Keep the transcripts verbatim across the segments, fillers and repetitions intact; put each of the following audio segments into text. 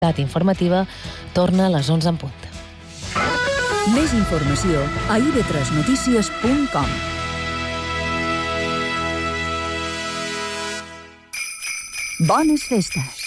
informativa torna a les onze en punt. Més informació a i ve tres notícies punt com. Bones festes!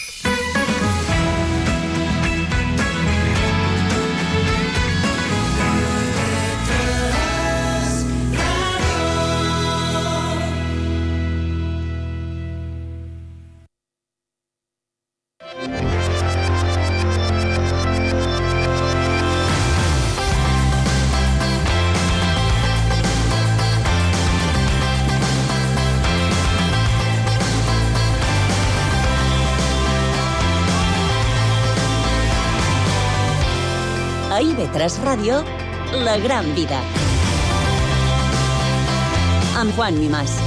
A i ve tres Ràdio, La Gran Vida. Amb Juan Mimàs.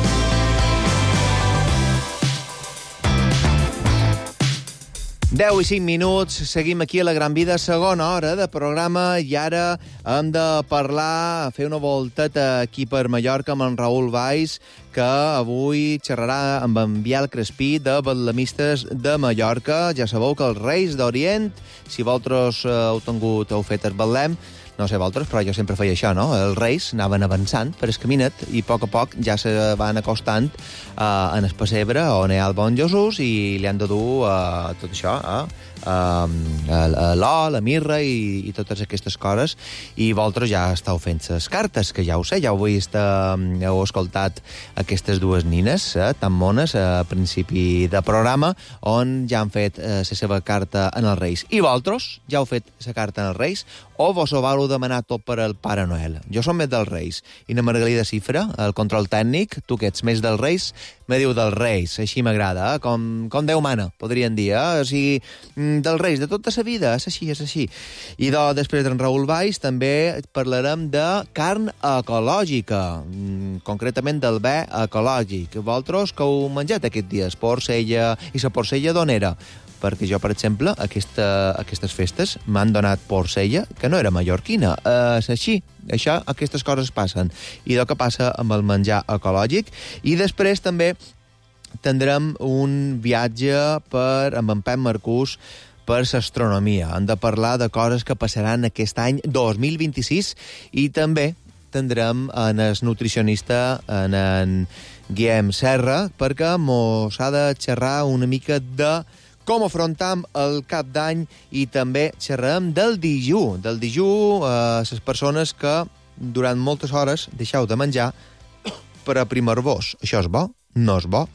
deu i cinc minuts, seguim aquí a La Gran Vida, segona hora de programa, i ara hem de parlar, fer una volteta aquí per Mallorca amb en Raül Valls, que avui xerrarà amb en Biel Crespí de Betlamistes de Mallorca. Ja sabeu que els Reis d'Orient, si vosaltres heu tingut, heu fet el Betlem, no sé vosaltres, però jo sempre feia això, no? Els Reis anaven avançant per el caminet i a poc a poc ja se van acostant uh, en el pessebre on hi ha el bon Jesús i li han de dur uh, tot això, uh, uh, l'or, la mirra i, i totes aquestes coses, i vosaltres ja esteu fent les cartes, que ja ho sé, ja ho he vist, uh, heu escoltat aquestes dues nines uh, tan mones a principi de programa, on ja han fet uh, la seva carta en els Reis. I vosaltres ja heu fet la carta en els Reis, o vos ho vau demanar tot per al Pare Noel? Jo som més dels Reis. I na Margalida Cifra, el control tècnic, tu que ets més dels Reis, me diu dels Reis. Així m'agrada, eh? com, com Déu mana, podrien dir. Eh? O sigui, dels Reis, de tota la vida, és així, és així. I de, després d'en Raül Valls també parlarem de carn ecològica, concretament del bé ecològic. Vosaltres que heu menjat aquests dies? Porcella, i la porcella d'on era? Perquè jo, per exemple, aquesta, aquestes festes m'han donat porcella que no era mallorquina. Eh, és així. Això, aquestes coses passen. I el que passa amb el menjar ecològic. I després també tindrem un viatge per, amb en Pep Marcús per l'astronomia. Hem de parlar de coses que passaran aquest any dos mil vint-i-sis, i també tindrem en el nutricionista, en en Guillem Serra, perquè mos ha de xerrar una mica de com afrontam el cap d'any, i també xerrem del dijú, del dijú a les persones que durant moltes hores deixeu de menjar per aprimar-vos. Això és bo? No és bo?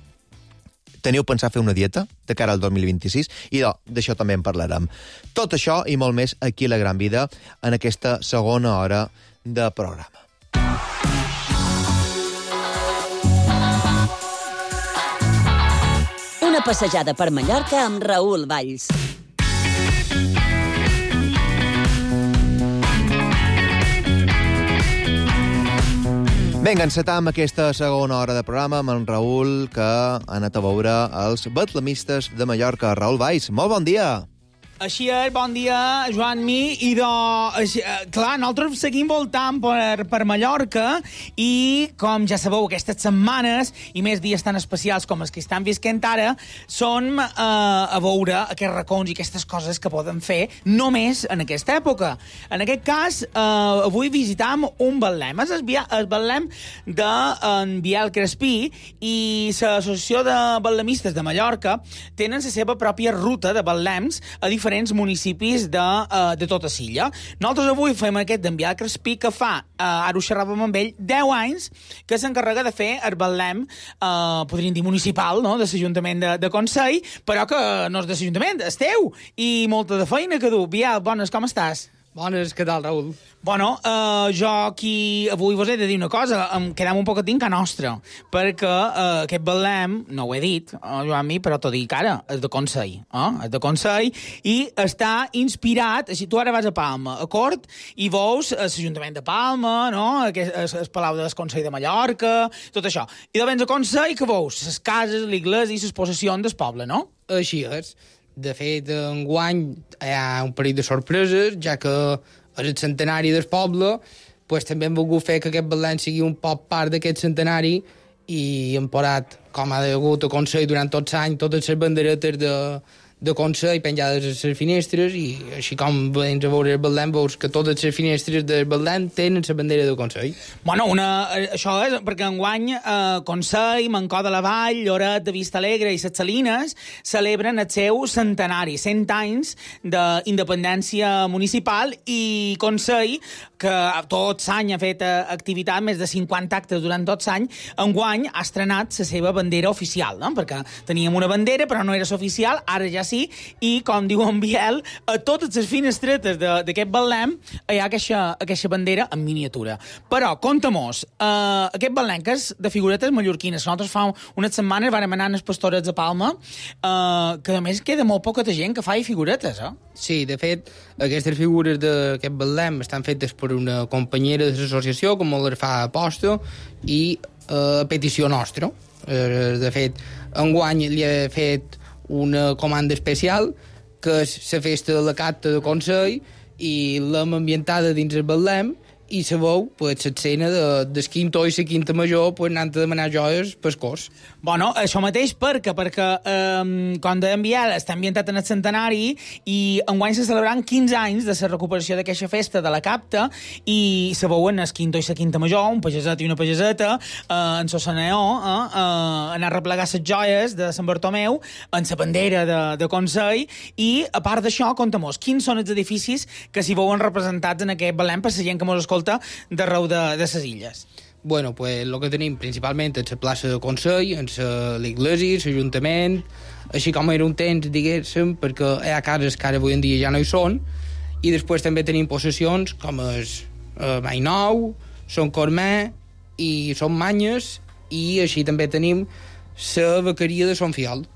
Teniu pensat fer una dieta de cara al dos mil vint-i-sis? I d'això també en parlarem. Tot això i molt més aquí a La Gran Vida, en aquesta segona hora de programa. Una passejada per Mallorca amb Raül Valls. Vinga, encetam aquesta segona hora de programa amb en Raül, que ha anat a veure els Betlamistes de Mallorca. Raül Valls, molt bon dia! Així és, bon dia, Joan Mi, i de... Així, clar, nosaltres seguim voltant per, per Mallorca, i, com ja sabeu, aquestes setmanes, i més dies tan especials com els que estan visquent ara, són eh, a veure aquests racons i aquestes coses que poden fer només en aquesta època. En aquest cas, eh, avui visitam un Betlem. És el, el Betlem d'en Biel Crespí, i l'Associació de Betlemistes de Mallorca tenen la seva pròpia ruta de Betlems a diferents municipis de, uh, de tota l'illa. Nosaltres avui fem aquest d'en Biel Crespí, que fa, uh, ara ho xerràvem amb ell, deu anys que s'encarrega de fer el Betlem, uh, podríem dir municipal, no?, de l'Ajuntament de, de Consell, però que no és de l'Ajuntament, és teu, i molta de feina que du. Biel, bones, com estàs? Bones, què tal, Raül? Bueno, uh, jo aquí avui vos he de dir una cosa, em quedem un poquetín ca nostra, perquè uh, aquest Betlem, no ho he dit, uh, Joan Mi, però t'ho dic ara, és de Consell, eh? és de Consell, i està inspirat, així tu ara vas a Palma, a Cort, i veus l'Ajuntament de Palma, no?, el, el Palau del Consell de Mallorca, tot això. I de vens a Consell, que veus? Les cases, l'església i les possessions del poble, no? Així és. De fet, enguany hi ha un parell de sorpreses, ja que és el centenari del poble, pues, també hem volgut fer que aquest Betlem sigui un poc part d'aquest centenari, i hem posat, com ha degut a Consell durant tots els anys, totes les banderetes de, de Consell penjades a les finestres i així com vens a veure el Betlem veus que totes les finestres del Betlem tenen la bandera del Consell. Bueno, una, això és perquè enguany eh, Consell, Mancó de la Vall, Lloret de Vistalegre i Ses Salines celebren el seu centenari, cent anys d'independència municipal, i Consell, que tot l'any ha fet activitat, més de cinquanta actes durant tot l'any, enguany ha estrenat la seva bandera oficial, no? Perquè teníem una bandera però no era oficial, ara ja sí, i com diu en Biel, a totes les finestretes d'aquest Betlem hi ha aquesta, aquesta bandera en miniatura. Però, conta-mos, uh, aquest Betlem, que és de figuretes mallorquines, nosaltres fa unes setmanes vàrem anar a les Pastorets de Palma, uh, que a més queda molt poca gent que fa figuretes, eh? Sí, de fet, aquestes figures d'aquest Betlem estan fetes per una companyera de l'associació, com les fa aposta, i a uh, petició nostra. Uh, de fet, enguany li he fet una comanda especial, que és la festa de la Capta de Consell, i l'hem ambientada dins el Betlem, i sabeu, pues, l'escena de, del quinto i la quinta major, pues, anant a demanar joies pel cos. Bueno, això mateix perquè, perquè eh, com deien Biel, està ambientat en el centenari i enguany se celebraran quinze anys de la recuperació d'aquesta festa de la Capta, i se veuen el quinto i la quinta major, un pageset i una pageseta, eh, en Sosaneó, eh, eh, anar a replegar les joies de Sant Bartomeu, en la bandera de, de Consell, i a part d'això, compta-mos, quins són els edificis que s'hi veuen representats en aquest Betlem per la gent que mos escolta d'arreu de, de ses illes. Bueno, pues el que tenim principalment és la plaça de Consell, en l'església, l'Ajuntament, així com era un temps, diguéssim, perquè hi ha cases que ara avui en dia ja no hi són, i després també tenim possessions com és eh, Mainou, Son Cormè i Son Manyes, i així també tenim la vaqueria de Son Fiol.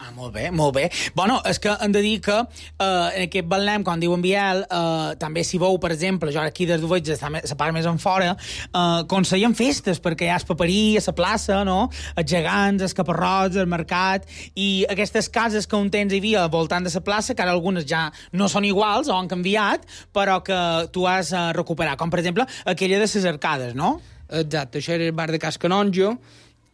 Ah, molt bé, molt bé. Bueno, és que hem de dir que eh, en aquest Betlem, com diu en Biel, eh, també s'hi veu, per exemple, jo aquí des d'ho veig, està la part més en fora, eh, consellen festes, perquè hi ha el paperí, a la plaça, no? Els gegants, els caparrots, el mercat, i aquestes cases que un temps hi havia al voltant de la plaça, que ara algunes ja no són iguals o han canviat, però que tu has de recuperar, com per exemple aquella de les arcades, no? Exacte, això era el bar de Cas Canonjo,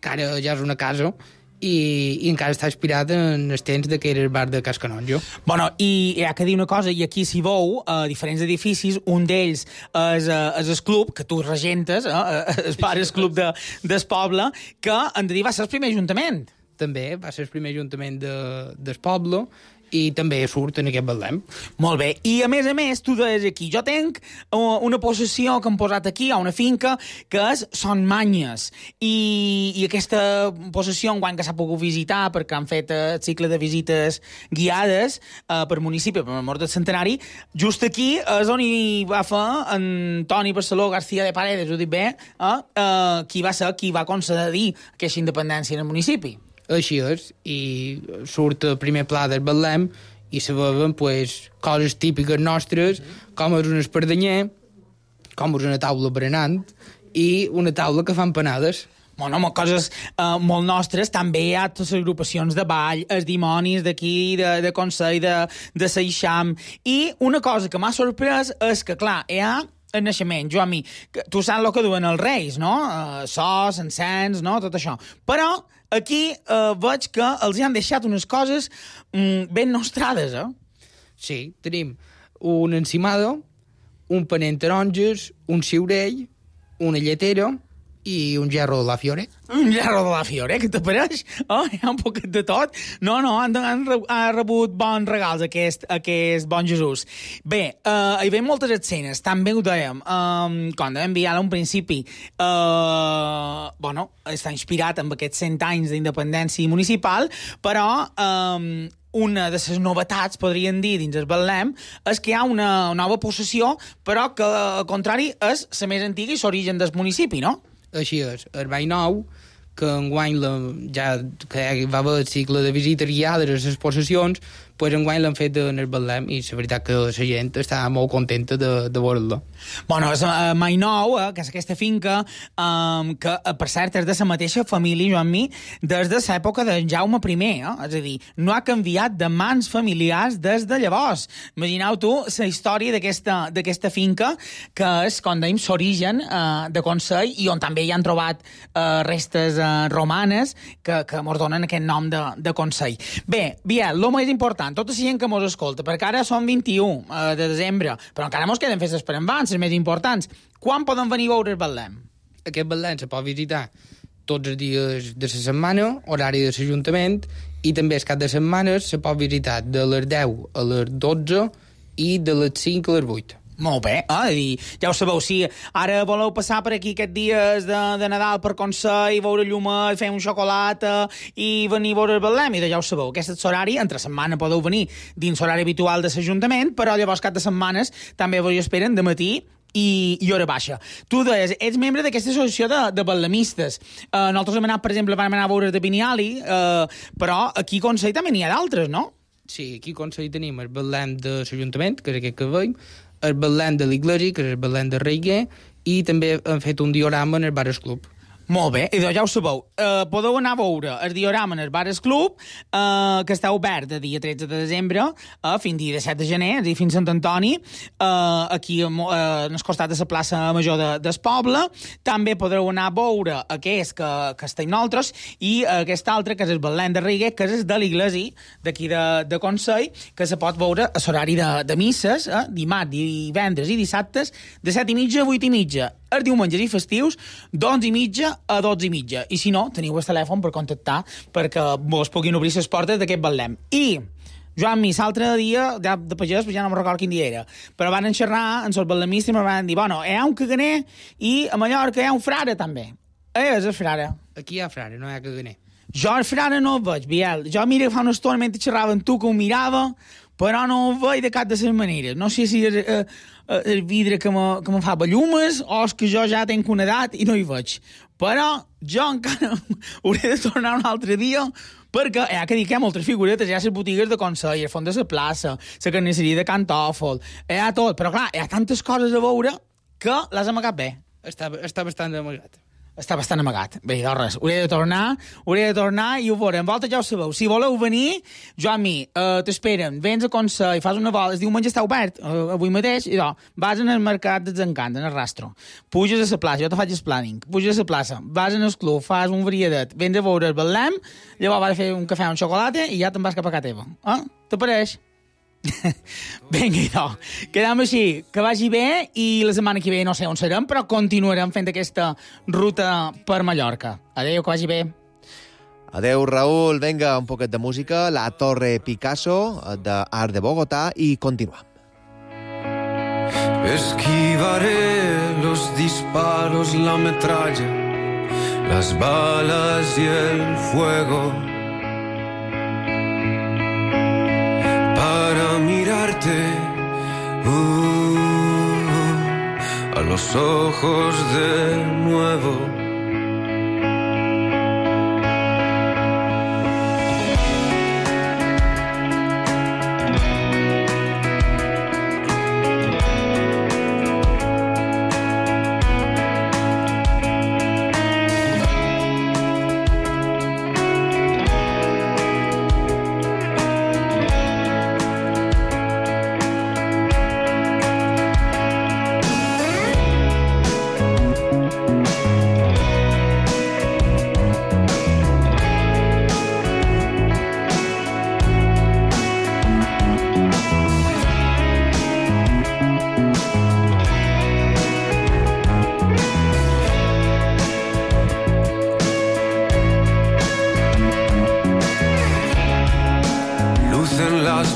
que ara ja és una casa, i, i encara està inspirat en els temps que era el bar de Cas Canonjo. Bueno, i hi ha que dir una cosa, i aquí s'hi veu a diferents edificis, un d'ells és, és el club, que tu regentes, eh, el bar és club de, del poble, que en de dir va ser el primer ajuntament. També va ser el primer ajuntament de, del poble, i també surt en aquest Betlem. Molt bé. I, a més a més, tu deies aquí, jo tenc una possessió que hem posat aquí, a una finca, que és Son Manyes. I, i aquesta possessió, enguany que s'ha pogut visitar, perquè han fet el cicle de visites guiades eh, per municipi, per l'amor del centenari, just aquí és on hi va fer en Toni Barceló García de Paredes, ho dic bé, eh, eh, qui va ser qui va concedir aquesta independència en el municipi. Així és, i surt el primer pla del Betlem i se veuen pues, coses típiques nostres, com és un espardenyer, com és una taula berenant i una taula que fan panades. Bueno, coses eh, molt nostres. També hi ha totes les agrupacions de ball, els dimonis d'aquí, de, de Consell, de, de Seixam. I una cosa que m'ha sorprès és que, clar, hi ha el naixement, jo a mi, tu saps el que duen els reis, no? Uh, sos, encens, no? Tot això. Però aquí uh, veig que els hi han deixat unes coses um, ben nostrades, eh? Sí, tenim un encimado, un panell taronges, un ciurell, una lletera i un gerro de la Fiore. Un gerro de la Fiore, què t'apareix? Oh, hi ha un poquet de tot. No, no, han, han, han rebut bons regals aquest, aquest bon Jesús. Bé, uh, hi ve moltes escenes, també ho dèiem. Um, com dèiem enviar a un principi, uh, bueno, està inspirat en aquests cent anys d'independència municipal, però um, una de les novetats, podríem dir, dins el Betlem, és que hi ha una nova possessió, però que, al contrari, és la més antiga i l'origen del municipi, no? Així és, el Vall Nou, que enguany la, ja que va haver el cicle de visites guiades a les possessions, pues enguany l'han fet en el Betlem i la veritat que la gent està molt contenta de, de veure-la. Bueno, és uh, Mai Nou, eh, que és aquesta finca, um, que, uh, per cert, és de la mateixa família, Joan Mi, des de l'època de Jaume primer, eh? És a dir, no ha canviat de mans familiars des de llavors. Imagineu tu la història d'aquesta finca, que és, com dèiem, l'origen uh, de Consell, i on també hi han trobat uh, restes uh, romanes que, que mos donen aquest nom de, de Consell. Bé, Biel, el més important, endavant, tota la gent que mos escolta, perquè ara som vint-i-u eh, de desembre, però encara mos queden festes per endavant, les més importants. Quan poden venir a veure el Betlem? Aquest Betlem se pot visitar tots els dies de la setmana, horari de l'Ajuntament, i també el cap de setmana se pot visitar de les deu a les dotze i de les cinc a les vuit. Molt bé, eh? I ja ho sabeu, si ara voleu passar per aquí aquests dies de, de Nadal per Consell, veure llumet, fer un xocolata i venir a veure el Betlem, i ja ho sabeu, aquest és l'horari, entre setmana podeu venir dins l'horari habitual de l'Ajuntament, però llavors cap de setmanes també vos esperen de matí i, i hora baixa. Tu deies, ets membre d'aquesta associació de, de betlemistes. Uh, nosaltres hem anat, per exemple, vam anar a veure de Biniali, uh, però aquí a Consell també n'hi ha d'altres, no? Sí, aquí a Consell tenim el Betlem de l'Ajuntament, que és aquest que veiem, el Betlem de l'Iglésia, que és el Betlem de Reiguer, i també hem fet un diorama en el Bares Club. Molt bé, i ja ho sabeu. Uh, podeu anar a veure el diorama en el Bares Club, uh, que està obert de dia tretze de desembre uh, fins dia disset de gener, és a dir, fins Sant Antoni, uh, aquí uh, en el costat de la plaça Major de, del poble. També podreu anar a veure aquest que, que està en nosaltres, i uh, aquest altre, que és el Betlem de Reiguer, que és de l'Iglésia, d'aquí de, de Consell, que se pot veure a l'horari de, de misses, eh, dimarts, divendres i dissabtes, de set i mitja a vuit i mitja. Els diumenges i festius, d'onze i mitja a dotze i mitja. I si no, teniu el telèfon per contactar perquè vos puguin obrir les portes d'aquest Betlem. I, Joan, mi, l'altre dia, de, de pagès, ja no me'n recordo quin dia era, però van xerrar en els betlemistes i me van dir, bueno, hi ha un caganer i a Mallorca hi ha un frare també. Eh, és el frare. Aquí hi ha frare, no hi ha caganer. Jo el frare no el veig, Biel. Jo mira fa una estona mentre xerrava amb tu que ho mirava, però no ho veig de cap de les maneres. No sé si és eh, el vidre que me, que me fa bellumes o és que jo ja tenc una edat i no hi veig. Però jo encara hauré de tornar un altre dia perquè hi ha que dir que hi ha moltes figuretes, hi ha les botigues de Consell, el fons de la plaça, la carnisseria de Cantòfol, hi ha tot, però clar, hi ha tantes coses a veure que les amagat bé. Està, està bastant amagat. Està bastant amagat. Bé, doncs res, hauré de tornar, hauré de tornar i ho veurem. Vosaltres ja ho sabeu. Si voleu venir, Joan Mi, uh, t'esperen, vens a Consell, fas una volta, el diumenge està obert, uh, avui mateix, i doncs, vas en el mercat dels encants, en el rastro, puges a la plaça, jo te faig el planning, puges a la plaça, vas en el club, fas un varietat, vens a veure el Betlem, llavors vas a fer un cafè o un xocolata i ja te'n vas cap a casa teva. Eh? T'apareix? Vinga, idò. Quedam així, que vagi bé, i la setmana que ve no sé on serem, però continuarem fent aquesta ruta per Mallorca. Adéu, que vagi bé. Adéu, Raül. Vinga, un poquet de música. La Torre Picasso, de Art de Bogotá, i continuam. Esquivaré los disparos, la metralla, las balas y el fuego, para mirarte uh, a los ojos de nuevo.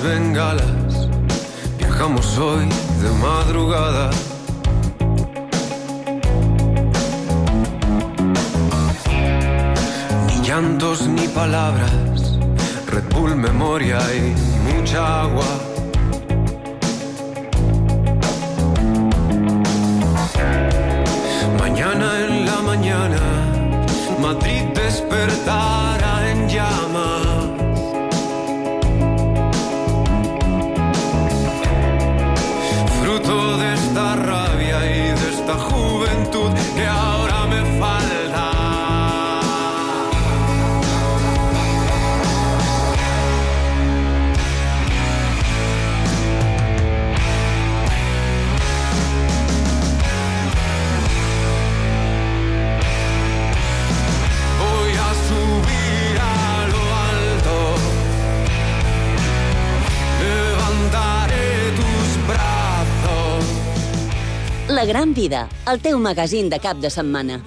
Bengalas, viajamos hoy de madrugada. Ni llantos ni palabras, Red Bull, memoria y mucha agua. Mañana en la mañana, Madrid despertará en llamas. Fruto de esta rabia y de esta juventud que ahora me falta. Voy a subir La Gran Vida, el teu magazín de cap de setmana.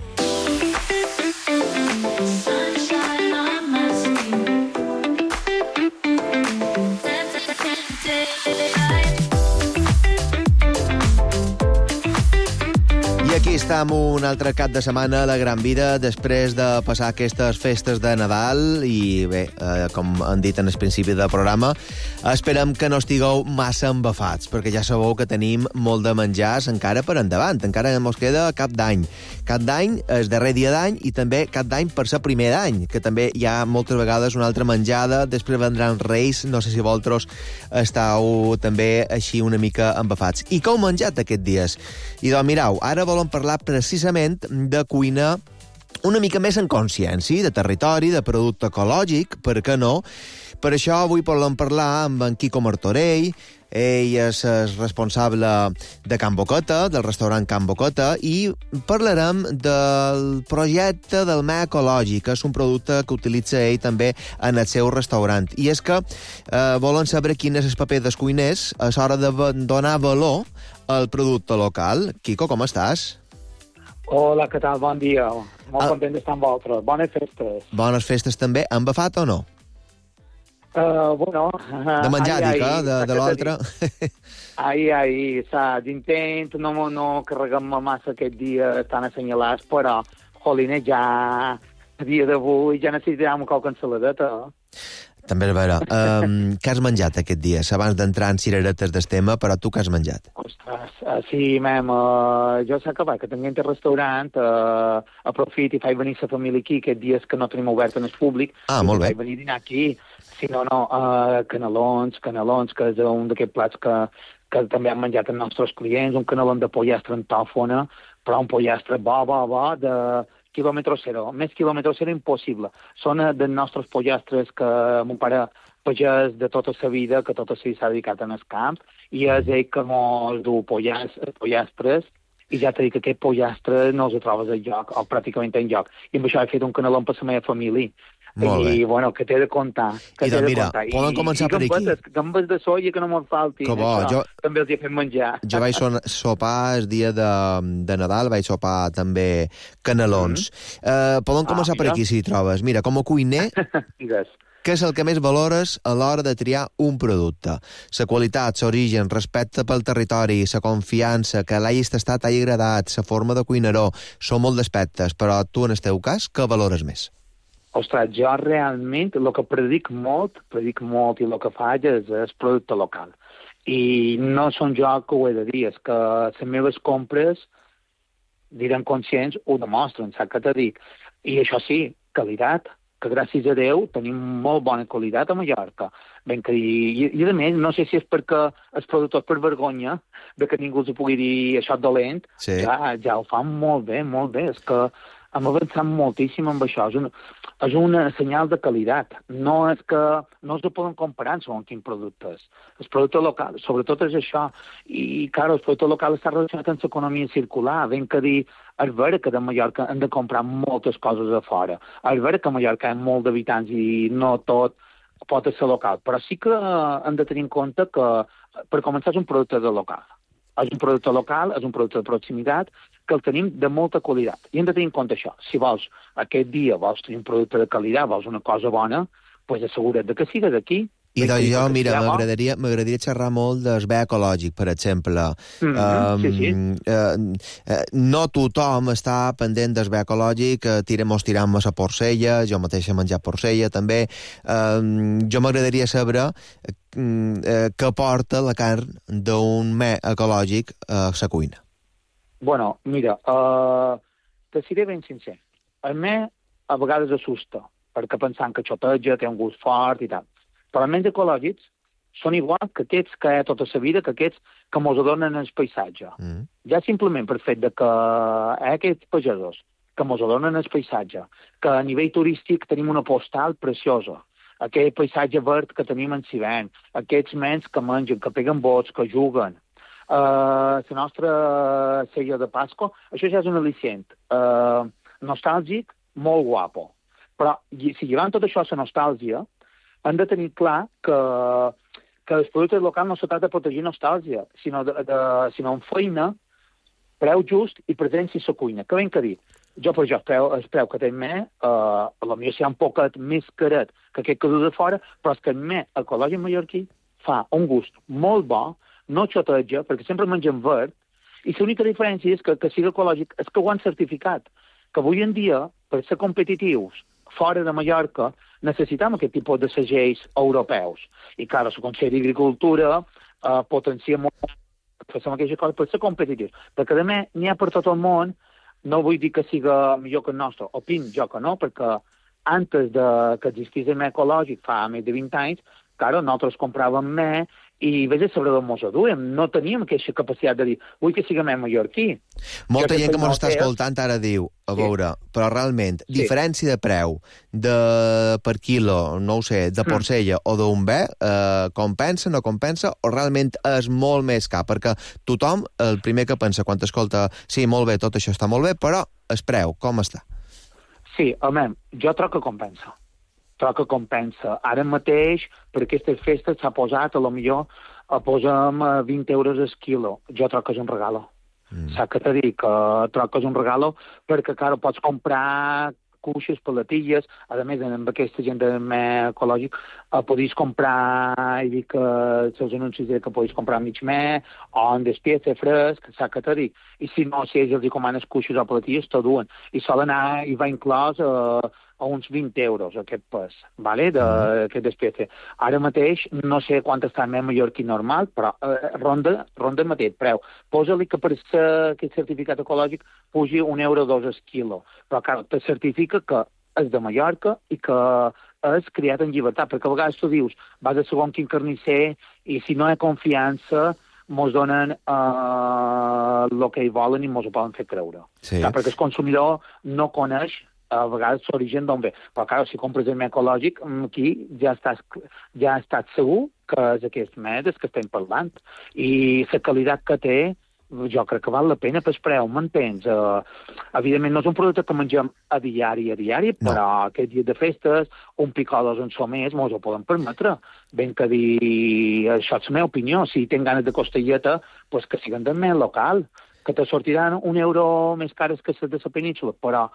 Aquí estem un altre cap de setmana a la Gran Vida després de passar aquestes festes de Nadal i bé, eh, com han dit en el principi del programa, esperem que no estigueu massa embafats perquè ja sabeu que tenim molt de menjars encara per endavant, encara ens queda cap d'any. Cap d'any, el darrer dia d'any i també cap d'any per ser primer d'any, que també hi ha moltes vegades una altra menjada, després vendran Reis, no sé si vosaltres estàu també així una mica embafats. I què heu menjat aquests dies? I doncs mireu, ara volem parlar precisament de cuina una mica més en consciència, de territori, de producte ecològic, per què no? Per això avui volem parlar amb en Quico Martorell. Ell és el responsable de Can Boqueta, del restaurant Can Boqueta, i parlarem del projecte del me ecològic, que és un producte que utilitza ell també en el seu restaurant. I és que eh, volen saber quin és el paper dels cuiners a l'hora de donar valor al producte local. Quico, com estàs? Hola, què tal? Bon dia. Molt ah. content d'estar amb vosaltres. Bones festes. Bones festes també. Han bafat o no? Uh, bueno... De menjar, dic, eh? De, de l'altre. Ai, ai, saps, intent, no, no carreguem-me massa aquest dia tan assenyalats, però, jolines, ja a dia d'avui ja necessitàvem qualque ensaladeta. També és vera. Um, què has menjat aquest dia? Abans d'entrar en cireretes del tema, però tu què has menjat? Ostres, uh, sí, mem, uh, jo sé que va, que tinguem el restaurant, uh, aprofit i faig venir la família aquí, aquests dies que no tenim obert en el públic. Ah, molt bé. Faig venir a dinar aquí. Sí, no, no, uh, canelons, canelons, que és un d'aquests plats que, que també han menjat els nostres clients, un canelon de pollastre en tòfona, però un pollastre bo, bo, bo, de quilòmetre zero. Més quilòmetre zero impossible. Són dels nostres pollastres que mon pare pagès de tota la vida, que tota la vida s'ha dedicat en el camp, i és ell que mos du pollastres, i ja t'he dit que aquest pollastre no els trobes enlloc, o pràcticament enlloc. I amb això he fet un canelon per la meva família. I, bueno, que t'he de contar. Que I doncs mira, de poden començar I, per aquí. I gambes de soia que no me'n faltin. Que bo, això, jo... també els hi he fet menjar. Jo vaig so sopar el dia de, de Nadal, vaig sopar també canelons. Mm. Uh, poden començar ah, per aquí, si hi trobes. Mira, com a cuiner, què és el que més valores a l'hora de triar un producte? La qualitat, l'origen, respecte pel territori, la confiança, que l'hagis tastat, t'hagi agradat, la forma de cuinar-ho, són molt d'aspectes, però tu, en el teu cas, què valores més? Ostres, jo realment el que predic molt, predic molt i el que faig és el producte local. I no són jo que ho he de dir, és que les meves compres, direm conscients, ho demostren, saps què t'he dit? I això sí, qualitat, que gràcies a Déu tenim molt bona qualitat a Mallorca. Ben que, i, I a més, no sé si és perquè els productors per vergonya de que ningú els pugui dir això dolent, sí. ja, ja ho fan molt bé, molt bé. És que hem avançat moltíssim amb això. És un, és un senyal de qualitat. No és que no es poden comparar segons quins productes. El producte local, sobretot és això. I, clar, el producte local està relacionat amb l'economia circular. Ben que dir, és vera que de Mallorca hem de comprar moltes coses a fora. És vera que a Mallorca hi ha molt d'habitants i no tot pot ser local. Però sí que hem de tenir en compte que, per començar, és un producte de local. És un producte local, és un producte de proximitat, que el tenim de molta qualitat. I hem de tenir en compte això. Si vols, aquest dia vols tenir un producte de qualitat, vols una cosa bona, doncs assegura't que siga d'aquí. I doncs jo, mira, m'agradaria m'agradaria xerrar molt del bé ecològic, per exemple. Mm-hmm, um, sí, sí. Uh, uh, no tothom està pendent del bé ecològic, uh, tirem o tirem a la porcella, jo mateix he menjat porcella, també. Uh, jo m'agradaria saber uh, uh, què porta la carn d'un me ecològic a la cuina. Bueno, mira, uh, te seré ben sincer. El me a vegades assusta, perquè pensant que xoteja, té un gust fort i tal. Però els menys ecològics són igual que aquests que hi ha tota la vida, que aquests que mos adonen el paisatge. Mm. Ja simplement per fet de que hi ha aquests pagesos que mos adonen el paisatge, que a nivell turístic tenim una postal preciosa, aquest paisatge verd que tenim en Sivent, aquests nens que mengen, que peguen bots, que juguen, uh, la nostra cella de Pasqua, això ja és un al·licient uh, nostàlgic, molt guapo. Però si llevant tot això a la nostàlgia, hem de tenir clar que, que els productes locals no se tracta de protegir nostàlgia, sinó, de, de, sinó en feina preu just i presència a la cuina. Què ben que dir? Jo, per jo, el preu, el preu que tenc més, eh, a la millor serà un poquet més caret que aquest que du de fora, però és que el més ecològic mallorquí fa un gust molt bo, no xoteja, perquè sempre mengem verd, i l'única diferència és que, que sigui ecològic és que ho han certificat, que avui en dia, per ser competitius fora de Mallorca, necessitem aquest tipus de segells europeus. I, clar, el Consell d'Agricultura eh, potencia molt fer aquesta cosa per ser competitius. Perquè, a més, n'hi ha per tot el món, no vull dir que siga millor que el nostre, opin jo que no, perquè antes de que existís el més ecològic, fa més de vint anys, claro, nosaltres compràvem més i vés a saber d'on mos aduem. No teníem aquesta capacitat de dir, vull que siga més mallorquí. Molta gent que mos està escoltant ara diu, a veure, sí. però realment, sí. diferència de preu de per quilo, no ho sé, de porcella mm. o d'un bé, eh, compensa, no compensa, o realment és molt més car? Perquè tothom, el primer que pensa quan escolta, sí, molt bé, tot això està molt bé, però el preu, com està? Sí, home, jo troc que compensa. Troc que compensa. Ara mateix, per aquestes festes, s'ha posat, a lo millor, a posem vint euros el quilo. Jo troc que és un regalo. Mm. Saps què t'he dit? Que troc que és un regalo perquè, clar, pots comprar cuixes, palatilles, a més, amb aquesta gent de més ecològic, eh, podis comprar, i dic que els seus anuncis que podis comprar mig més, o en despiece fresc, saps què t'he dit? I si no, si ells els comanes cuixes o palatilles, t'ho duen. I sol anar, i va inclòs eh, a uns vint euros, aquest pes, vale? d'aquest despiece. Ara mateix, no sé quant està més mallorquí normal, però eh, ronda, ronda el mateix preu. Posa-li que per ser aquest certificat ecològic pugi un euro o dos el quilo. Però, clar, te certifica que és de Mallorca i que és criat en llibertat, perquè a vegades tu dius, vas a segon quin carnisser i si no hi ha confiança mos donen eh, el que hi volen i mos ho poden fer creure. Sí. Clar, perquè el consumidor no coneix a vegades l'origen d'on ve. Però, clar, si compres el més ecològic, aquí ja estàs, ja estàs segur que és aquest més que estem parlant. I la qualitat que té, jo crec que val la pena pel preu, m'entens? Uh, evidentment, no és un producte que mengem a diari, a diari, no. Però aquest dia de festes, un picolos en so més, mos ho poden permetre. Ben que dir, això és la meva opinió, si tenen ganes de costelleta, pues que siguen del més local, que te sortiran un euro més cares que les de la península, però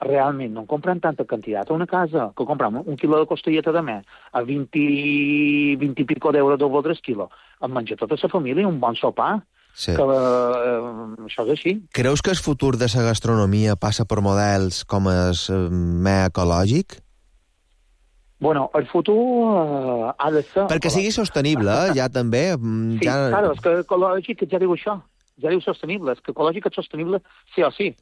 realment no compren tanta quantitat a una casa, que compram un quilo de costelleta de més a vint, vint i pico d'euros del voldre el quilo. Em menja tota la família un bon sopar. Sí. Que, uh, això és així. Creus que el futur de la gastronomia passa per models com el uh, més ecològic? Bueno, el futur uh, ha de ser... Perquè sigui sostenible, ja també. Sí, ja... claro, és que ecològic ja diu això, ja diu sostenible, és que ecològic és sostenible sí o sí.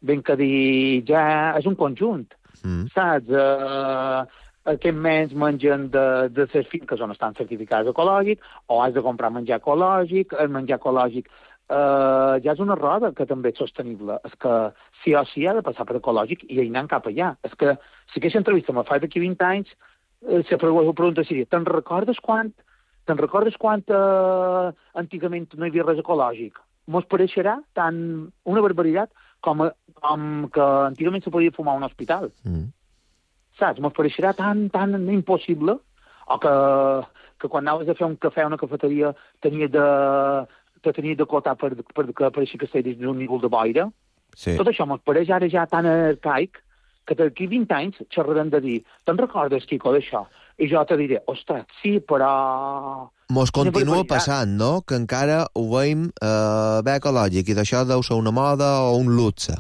Ben que dir, ja és un conjunt, mm. saps? Uh, aquests menys mengen de, de les finques on estan certificats ecològics, o has de comprar menjar ecològic, el menjar ecològic uh, ja és una roda que també és sostenible. És que sí o sí ha de passar per ecològic i anant cap allà. És que si aquesta entrevista me fa d'aquí vint anys, eh, se pregunta seria, te'n recordes quan, te'n recordes quan uh, antigament no hi havia res ecològic? Mos pareixerà tan una barbaritat com, com que antigament se podia fumar a un hospital. Mm. Saps? Mos pareixerà tan, tan impossible, o que, que quan anaves a fer un cafè a una cafeteria tenia de, te tenies de cotar per, per que pareixia que estigués d'un nivell de boira. Sí. Tot això mos pareix ara ja tan arcaic que d'aquí vint anys xerrarem de dir, te'n recordes, Quico, d'això? I jo te diré, ostres, sí, però... Mos continua passant, no?, que encara ho veiem eh, bé ecològic, i d'això deu ser una moda o un luxe.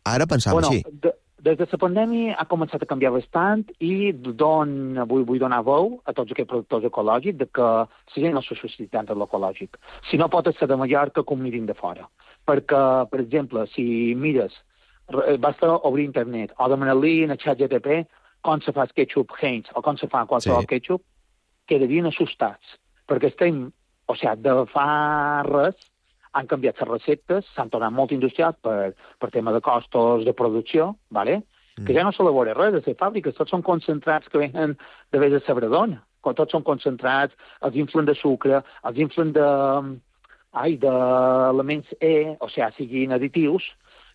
Ara pensam bueno, així. De, des de la pandèmia ha començat a canviar bastant i don, vull, vull donar veu a tots aquests productors ecològics de que la gent no s'ha suscitat de l'ecològic. Si no pot ser de Mallorca, com mirin de fora. Perquè, per exemple, si mires, basta obrir internet o demanar-li en el xat G T P com se fa el ketchup Heinz o com se fa qualsevol sí. ketchup, quedarien assustats. Perquè estem, o sigui, de fa res, han canviat les receptes, s'han tornat molt industrials per, per tema de costos de producció, ¿vale? Mm. Que ja no s'elabora res de les fàbriques, tots són concentrats que venen de vés de Sabradona, tots són concentrats, els inflen de sucre, els inflen de, ai, d'elements E, o sigui, siguin additius,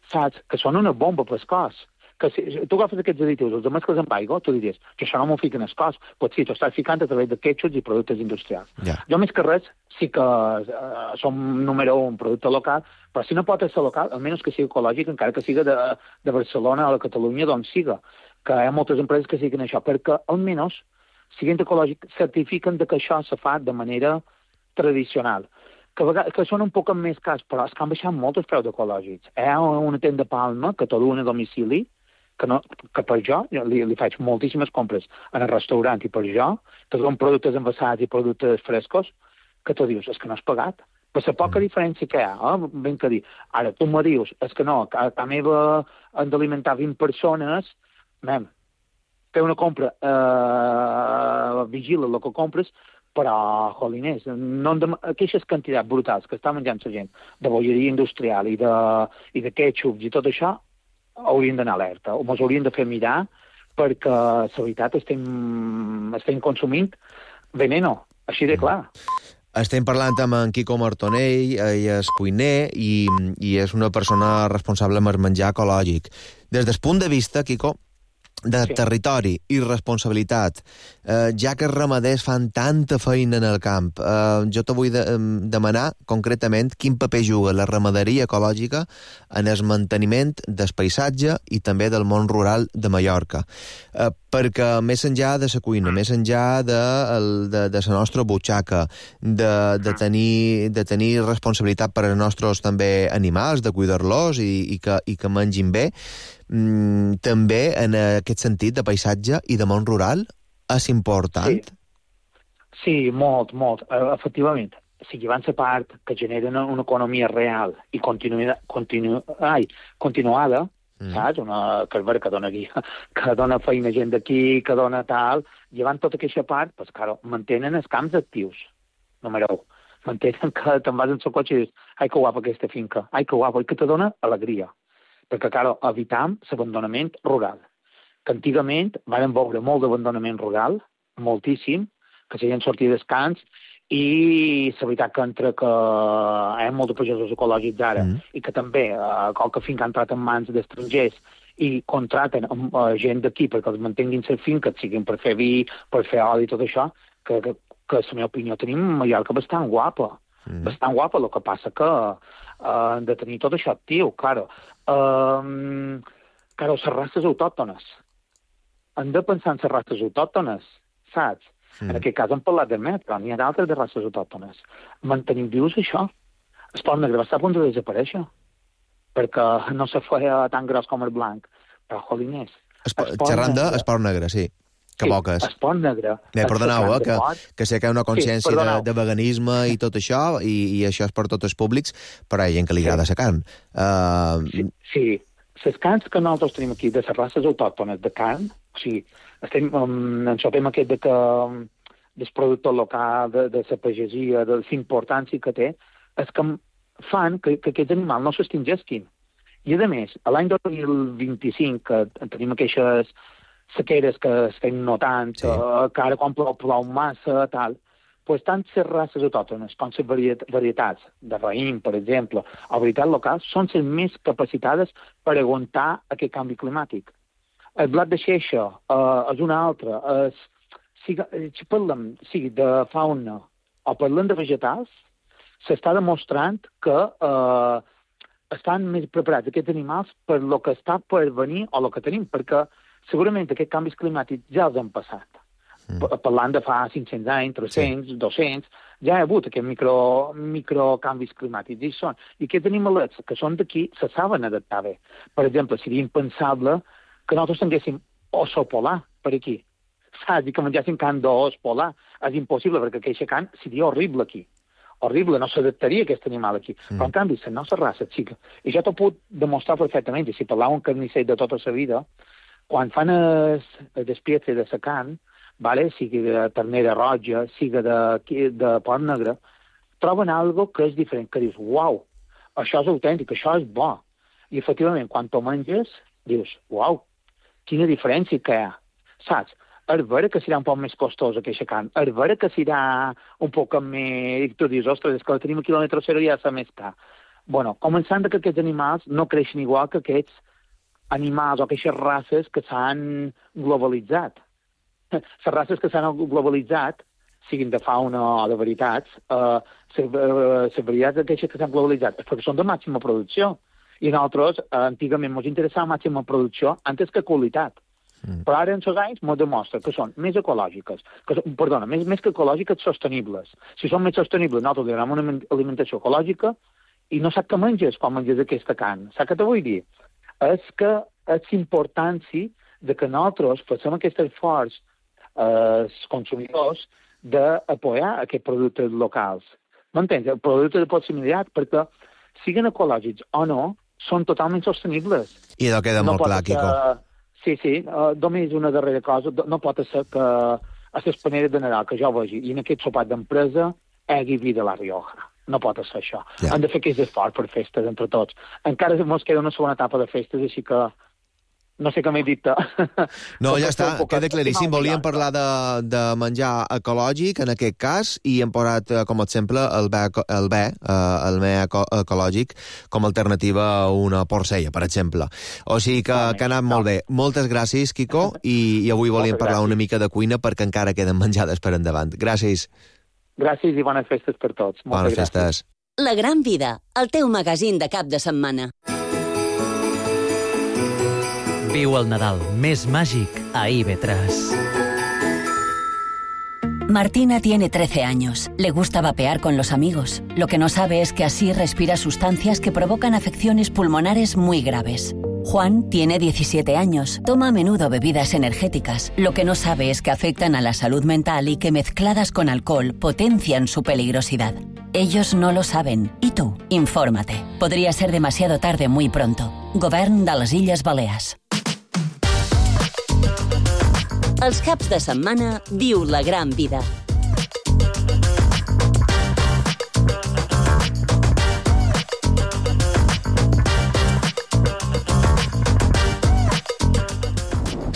saps? Que són una bomba pel cos. que si tu agafes aquests additius, els mescles amb aigua, tu diries que això no m'ho fiquen al cos. Pues sí, t'ho estàs ficant a través de ketchups i productes industrials. Ja. Jo, més que res, sí que uh, som número un producte local, però si no pot ser local, almenys que sigui ecològic, encara que siga de, de Barcelona o de Catalunya, d'on siga. Que hi ha moltes empreses que siguen això, perquè almenys, siguent ecològic, certifiquen de que això se fa de manera tradicional. Que, vegades, que són un poc més cars, però és que han baixat molt els preus ecològics. Hi ha una tenda Palma que te duen a domicili, que, no, que per jo, jo li, li faig moltíssimes compres en el restaurant i per jo, te duen productes envasats i productes frescos, que tu dius, és que no has pagat. Per la poca diferència que hi ha, eh? Ben que dir. Ara, tu me dius, és que no, que a, a meva han d'alimentar vint persones, mem, fer una compra, eh, vigila el que compres, però, joliners, no de, aquestes quantitats brutals que està menjant la gent de bolleria industrial i de, i de ketchup i tot això, haurien d'anar alerta, o ens haurien de fer mirar perquè, la veritat, estem, estem consumint veneno, així de clar. Estem parlant amb en Quico Martonell, ell és cuiner i, i és una persona responsable amb el menjar ecològic. Des del punt de vista, Quico, de sí. territori i responsabilitat, eh, ja que els ramaders fan tanta feina en el camp, eh, jo te vull de, eh, demanar concretament quin paper juga la ramaderia ecològica en el manteniment del paisatge i també del món rural de Mallorca. Eh, perquè més enllà de la cuina, més enllà de, el, de, de la nostra butxaca, de, de, tenir, de tenir responsabilitat per als nostres també animals, de cuidar-los i, i, que, i que mengin bé, Mm, també en aquest sentit de paisatge i de món rural és important? Sí, sí molt, molt. Uh, efectivament, si van ser part que generen una economia real i continu, continu, ai, continuada, mm. saps? Una carrera que dona, que dona feina gent d'aquí, que dona tal, llevant tota aquesta part, pues, claro, mantenen els camps actius, número un. Mantenen que te'n vas en el cotxe i dius, ai, que guapa aquesta finca, ai, que guapa, i que te dona alegria. Perquè, clar, evitam l'abandonament rural. Que antigament vam veure molt d'abandonament rural, moltíssim, que la gent sortia dels camps, i la veritat que entre que hi ha molts pagesos ecològics ara, mm. i que també eh, qualque finca ha entrat en mans d'estrangers i contraten eh, gent d'aquí perquè els mantinguin la finca, siguin per fer vi, per fer oli i tot això, que, que, que la meva opinió tenim Mallorca bastant guapa. Mm. Bastant guapa, el que passa que han uh, de tenir tot això actiu, claro. Um, claro, les races autòctones. Han de pensar en les races autòctones, saps? Mm. En aquest cas hem parlat de met, però n'hi ha d'altres de races autòctones. Mantenim vius això. El porc negre va estar a punt de desaparèixer, perquè no se feia tan gros com el blanc. Però, joliners... Xerrant de porc negre, sí. Que sí, poques. Es port negre. Bé, perdoneu, eh, que, que sé que hi ha una consciència sí, de, de veganisme i tot això, i, i això és per tots els públics, però hi ha gent que li agrada sí. la carn. Uh... Sí, sí. Les carns que nosaltres tenim aquí, de les races autòctones de carn, o sigui, estem um, en el tema aquest de que um, del producte local, de, de la pagesia, de la importància que té, és que fan que, que aquests animals no s'extingisquin. I, a més, l'any dos mil vint-i-cinc, que tenim aquestes sequeres que estem notant, sí. uh, que ara quan plou, plou massa, tal, pues tant les races autòctones com les variet varietats de raïm, per exemple, o varietats locals, són les més capacitades per aguantar aquest canvi climàtic. El blat de xeixa uh, és una altra. Uh, si, si parlem sigui de fauna o parlem de vegetals, s'està demostrant que uh, estan més preparats aquests animals per lo que està per venir o el que tenim, perquè segurament aquests canvis climàtics ja els han passat. Mm. Parlant de fa cinc-cents anys, tres-cents, sí. dos-cents, ja hi ha hagut aquests micro, microcanvis climàtics. I, són, I aquests animalets que són d'aquí se saben adaptar bé. Per exemple, seria impensable que nosaltres tinguéssim oso polar per aquí. Saps? I que menjéssim carn d'os polar. És impossible, perquè aquesta carn seria horrible aquí. Horrible, no s'adaptaria aquest animal aquí. Mm. Però, en canvi, la nostra raça, xica, i jo t'ho puc demostrar perfectament, i si parlàvem un carnisser de tota la vida, quan fan el, el despiece de la carn, vale? Sigui de ternera roja, sigui de, de porc negre, troben algo que és diferent, que dius, uau, això és autèntic, això és bo. I, efectivament, quan t'ho menges, dius, uau, quina diferència que hi ha. Saps? És vera que serà un poc més costós aquesta carn, és vera que serà un poc més... I tu dius, ostres, és que la tenim a quilòmetre zero i ja s'ha més car. Bueno, començant que aquests animals no creixen igual que aquests animals o aquestes races que s'han globalitzat. Les races que s'han globalitzat, siguin de fauna o de veritats, eh, les varietats d'aquestes que s'han globalitzat, perquè són de màxima producció. I nosaltres, eh, antigament, ens interessava màxima producció antes que qualitat. Mm. Però ara, en els anys, ens demostra que són més ecològiques, que, perdona, més, més que ecològiques, sostenibles. Si són més sostenibles, nosaltres donem una alimentació ecològica i no sap què menges quan menges aquesta carn. Sap què te vull dir? És que és importància de que nosaltres facem aquest esforç als eh, consumidors d'apoyar aquests productes locals. M'entens? Els productes de proximitat, perquè siguin ecològics o no, són totalment sostenibles. I allò queda no molt clar, Quico. Que... Sí, sí, uh, només una darrera cosa. No pot ser que a les paneres de Nadal, que jo vegi, i en aquest sopat d'empresa, hi hagi vi de la Rioja. No pot ser això. Ja. Hem de fer aquest esforç per festes entre tots. Encara ens queda una segona etapa de festes, així que no sé què m'he dit. No, ja està, queda claríssim. Volíem parlar de, de menjar ecològic, en aquest cas, i hem posat com a exemple el bé, el bé, el bé ecològic com a alternativa a una porcella, per exemple. O sigui que, que ha anat molt bé. Moltes gràcies, Quico, i, i avui volíem parlar una mica de cuina perquè encara queden menjades per endavant. Gràcies. Gràcies i bones festes per tots. Bones festes. La Gran Vida, el teu magazín de cap de setmana. Viu el Nadal més màgic a I B tres. Martina tiene trece años. Le gusta vapear con los amigos. Lo que no sabe es que así respira sustancias que provocan afecciones pulmonares muy graves. Juan tiene diecisiete años. Toma a menudo bebidas energéticas. Lo que no sabe es que afectan a la salud mental y que mezcladas con alcohol potencian su peligrosidad. Ellos no lo saben. ¿Y tú? Infórmate. Podría ser demasiado tarde muy pronto. Govern de les Illes Balears. Els caps de setmana viu la gran vida.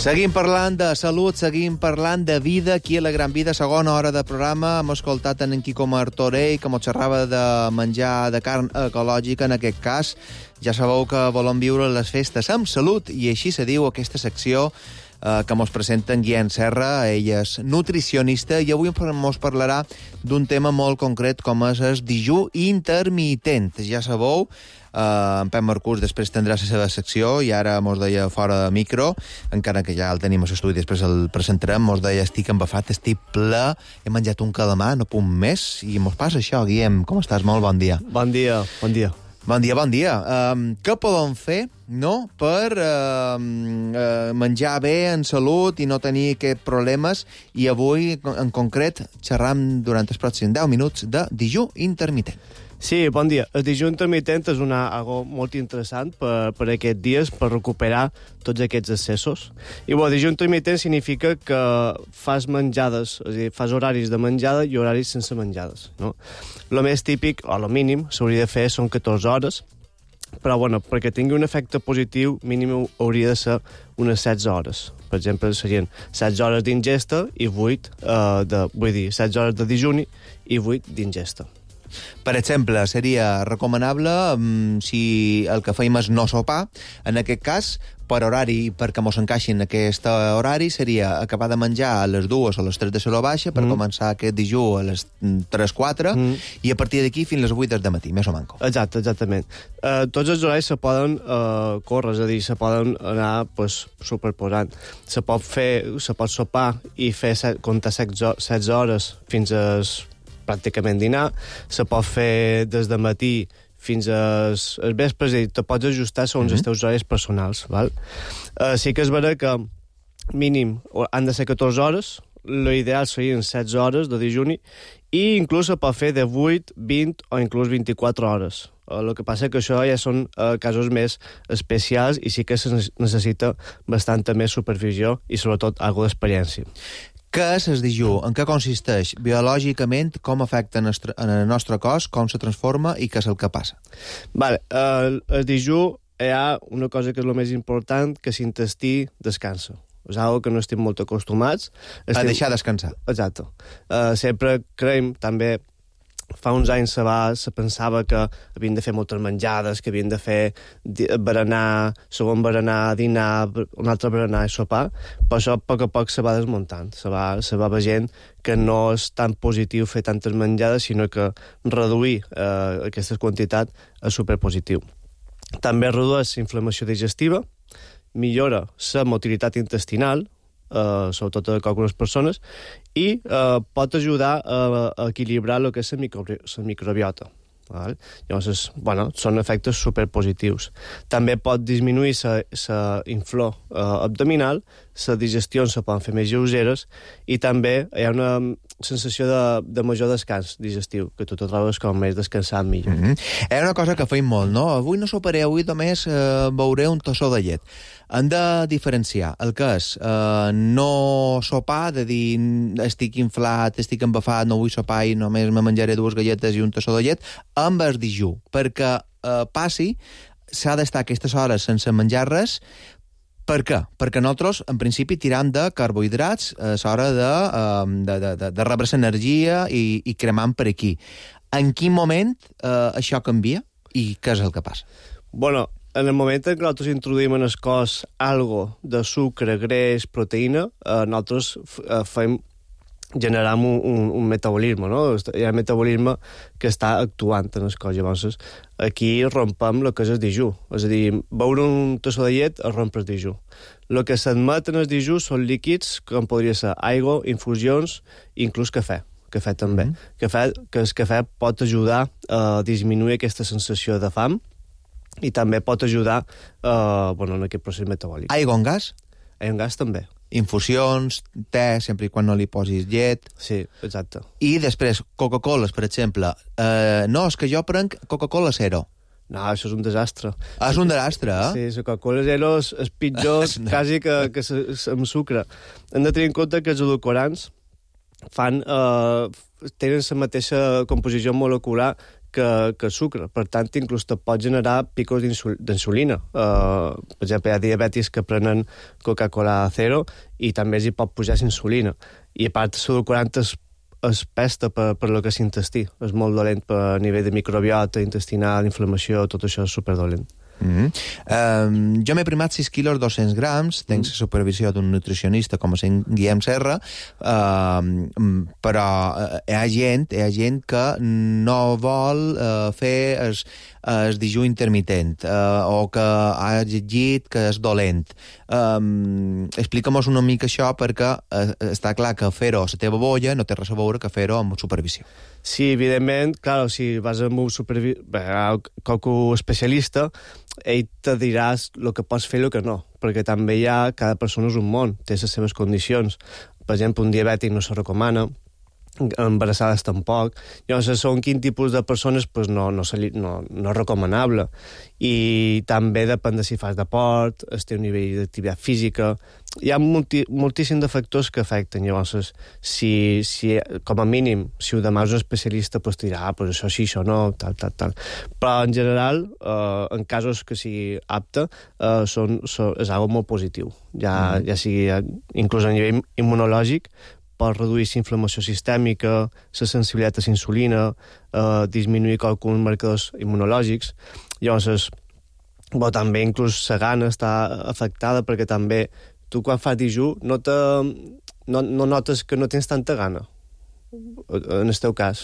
Seguim parlant de salut, seguim parlant de vida aquí a la Gran Vida, segona hora de programa. Hem escoltat en Quico Martorell, que mos xerrava de menjar de carn ecològica, en aquest cas. Ja sabeu que volem viure les festes amb salut, i així se diu aquesta secció eh, que mos presenta en Guillem Serra. Ell és nutricionista i avui mos parlarà d'un tema molt concret com és el dijú intermitent. Ja sabeu, Uh, en Pep Marcús després tindrà la seva secció i ara mos deia fora de micro, encara que ja el tenim a l'estudi, després el presentarem, mos deia estic embafat, estic ple, he menjat un calamar, no puc més, i mos passa això. Guillem, com estàs? Molt bon dia. Bon dia, bon dia. Bon dia, bon dia. Um, què podem fer, no?, per uh, uh, menjar bé, en salut, i no tenir aquests problemes, i avui, en concret, xerram durant els pròxims deu minuts de dijú intermitent. Sí, bon dia. El dijú intermitent és una, algo molt interessant per, per aquests dies, per recuperar tots aquests excessos. I el dijú intermitent significa que fas menjades, és a dir, fas horaris de menjada i horaris sense menjades, no? El més típic, o el mínim, s'hauria de fer són catorze hores, però bueno, perquè tingui un efecte positiu, mínim hauria de ser unes setze hores. Per exemple, serien setze hores d'ingesta i vuit, eh, de, vull dir, setze hores de dijuni i vuit d'ingesta. Per exemple, seria recomanable um, si el que feim és no sopar, en aquest cas, per horari, perquè mos encaixin aquest horari, seria acabar de menjar a les dues o les tres de l'hora baixa per mm. començar aquest dijú a les tres quatre mm. i a partir d'aquí fins les vuit del matí, més o manco. Exacte, exactament. Uh, tots els horaris se poden uh, córrer, és a dir, se poden anar pues, superposant. Se pot fer, se pot sopar i fer comptar setze hores fins a pràcticament dinar, se pot fer des de matí fins als vespres, i te pots ajustar segons mm-hmm. els teus horaris personals. Val? Uh, sí que és vera que mínim han de ser catorze hores, l'ideal serien setze hores de dijuni, i inclús se pot fer de vuit, vint o inclús vint-i-quatre hores. Uh, el que passa que això ja són uh, casos més especials i sí que se necessita bastanta més supervisió i sobretot algo d'experiència. Què és el dijú? En què consisteix? Biològicament, com afecta en el nostre cos, com se transforma i què és el que passa? Vale, el, el dijú hi ha una cosa que és el més important, que l'intestí descansa. És una que no estem molt acostumats. Estem... A deixar descansar. Exacte. Uh, sempre creiem també fa uns anys se, va, se pensava que havien de fer moltes menjades, que havien de fer berenar, segon berenar, dinar, un altre berenar i sopar, però això a poc a poc se va desmuntant, se va, se va veient que no és tan positiu fer tantes menjades, sinó que reduir eh, aquesta quantitat és superpositiu. També redueix la inflamació digestiva, millora la motilitat intestinal, Uh, sobretot a algunes persones, i uh, pot ajudar a, a equilibrar el que és la, micro, la microbiota. Val? Llavors, bueno, són efectes superpositius. També pot disminuir la inflor uh, abdominal, la digestió se poden fer més lleugeres, i també hi ha una sensació de, de major descans digestiu, que tu te trobes com més descansat millor. Mm-hmm. Hi ha una cosa que feim molt, no? Avui no soparé, avui només eh, beuré un tossó de llet. Hem de diferenciar el que és eh, no sopar, de dir estic inflat, estic embafat, no vull sopar i només me menjaré dues galletes i un tossó de llet, amb el dijú, perquè eh, passi, s'ha d'estar aquestes hores sense menjar res. Per què? Perquè nosaltres, en principi, tiram de carbohidrats a l'hora de, de, de, de, de rebre l'energia i, i cremant per aquí. En quin moment eh, això canvia i què és el que passa? Bueno, en el moment en què nosaltres introduïm en el cos algo de sucre, greix, proteïna, eh, nosaltres eh, fem generar un, un, un metabolisme, no? Hi ha un metabolisme que està actuant en el cos. Llavors, aquí rompem el que és el dijú. És a dir, beure un tossó de llet es romp el dijú. El que s'admet en el dijú són líquids, com podria ser aigua, infusions, inclús cafè. Cafè també. Mm-hmm. Cafè, que el cafè pot ajudar a disminuir aquesta sensació de fam i també pot ajudar eh, bueno, en aquest procés metabòlic. Aigua en gas? Aigua en gas també. Infusions, te, sempre i quan no li posis llet. Sí, exacte. I després, Coca-Coles, per exemple. Eh, no, és que jo prenc Coca-Cola Zero. No, això és un desastre. Ah, és un desastre, eh? Sí, la Coca-Cola Zero és, és pitjor quasi que, que s, s, amb sucre. Hem de tenir en compte que els edulcorants fan, eh, tenen la mateixa composició molecular que, que el sucre. Per tant, inclús te pot generar picos d'insulina. Uh, per exemple, hi ha diabetis que prenen Coca-Cola Zero i també els hi pot pujar insulina. I a part, l'edulcorant es, es pesta per, per lo que és l'intestí. És molt dolent per a nivell de microbiota, intestinal, inflamació, tot això és superdolent. Mm-hmm. um, jo m'he primat sis quilos dos-cents grams, tenc la supervisió d'un nutricionista com a Guillem Serra, uh, però hi ha gent hi ha gent que no vol uh, fer el, el dijú intermitent uh, o que ha llegit que és dolent. Um, Explica'm-nos una mica això, perquè uh, està clar que fer-ho a la teva bolla no té res a veure que fer-ho amb supervisió. Sí, evidentment, clar, si vas amb un supervi... Bé, qualque especialista, ell te diràs el que pots fer i el que no, perquè també hi ha, cada persona és un món, té les seves condicions. Per exemple, un diabètic no se recomana, embarassades tampoc. Llavors, segons quin tipus de persones pues no, no, li, no, no és recomanable. I també depèn de si fas deport, el teu nivell d'activitat física. Hi ha multi, moltíssims de factors que afecten. Llavors, si, si, com a mínim, si ho demanes un especialista, pues dirà, ah, pues això sí, això no, tal, tal, tal. Però, en general, eh, en casos que sigui apte, eh, són, són, és algo molt positiu. Ja, mm. ja sigui, inclús a nivell immunològic, pot reduir la inflamació sistèmica, la sensibilitat a la insulina, eh, disminuir alguns marcadors immunològics. Llavors, bo, també inclús la gana està afectada, perquè també tu quan fas dijú no, te, no, no notes que no tens tanta gana, en el teu cas.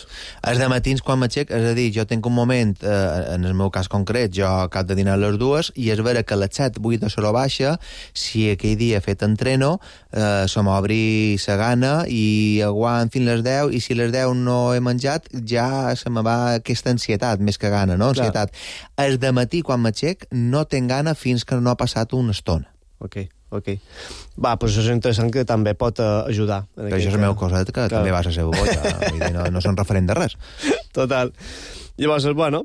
Els de matins quan m'aixec, és a dir, jo tinc un moment, eh, en el meu cas concret, jo cap de dinar a les dues, i és vera que a les set, vuit de la baixa, si aquell dia he fet entreno, eh, se m'obri la gana i aguant fins les deu, i si a les deu no he menjat, ja se me va aquesta ansietat, més que gana, no? Ansietat. El de matí, quan m'aixec, no tinc gana fins que no ha passat una estona. Ok. Ok. Va, doncs això és interessant, que també pot uh, ajudar. Que això és el meu coset, que clar, també vas a ser bolla. Vull dir, no, no són referent de res. Total. Llavors, bueno,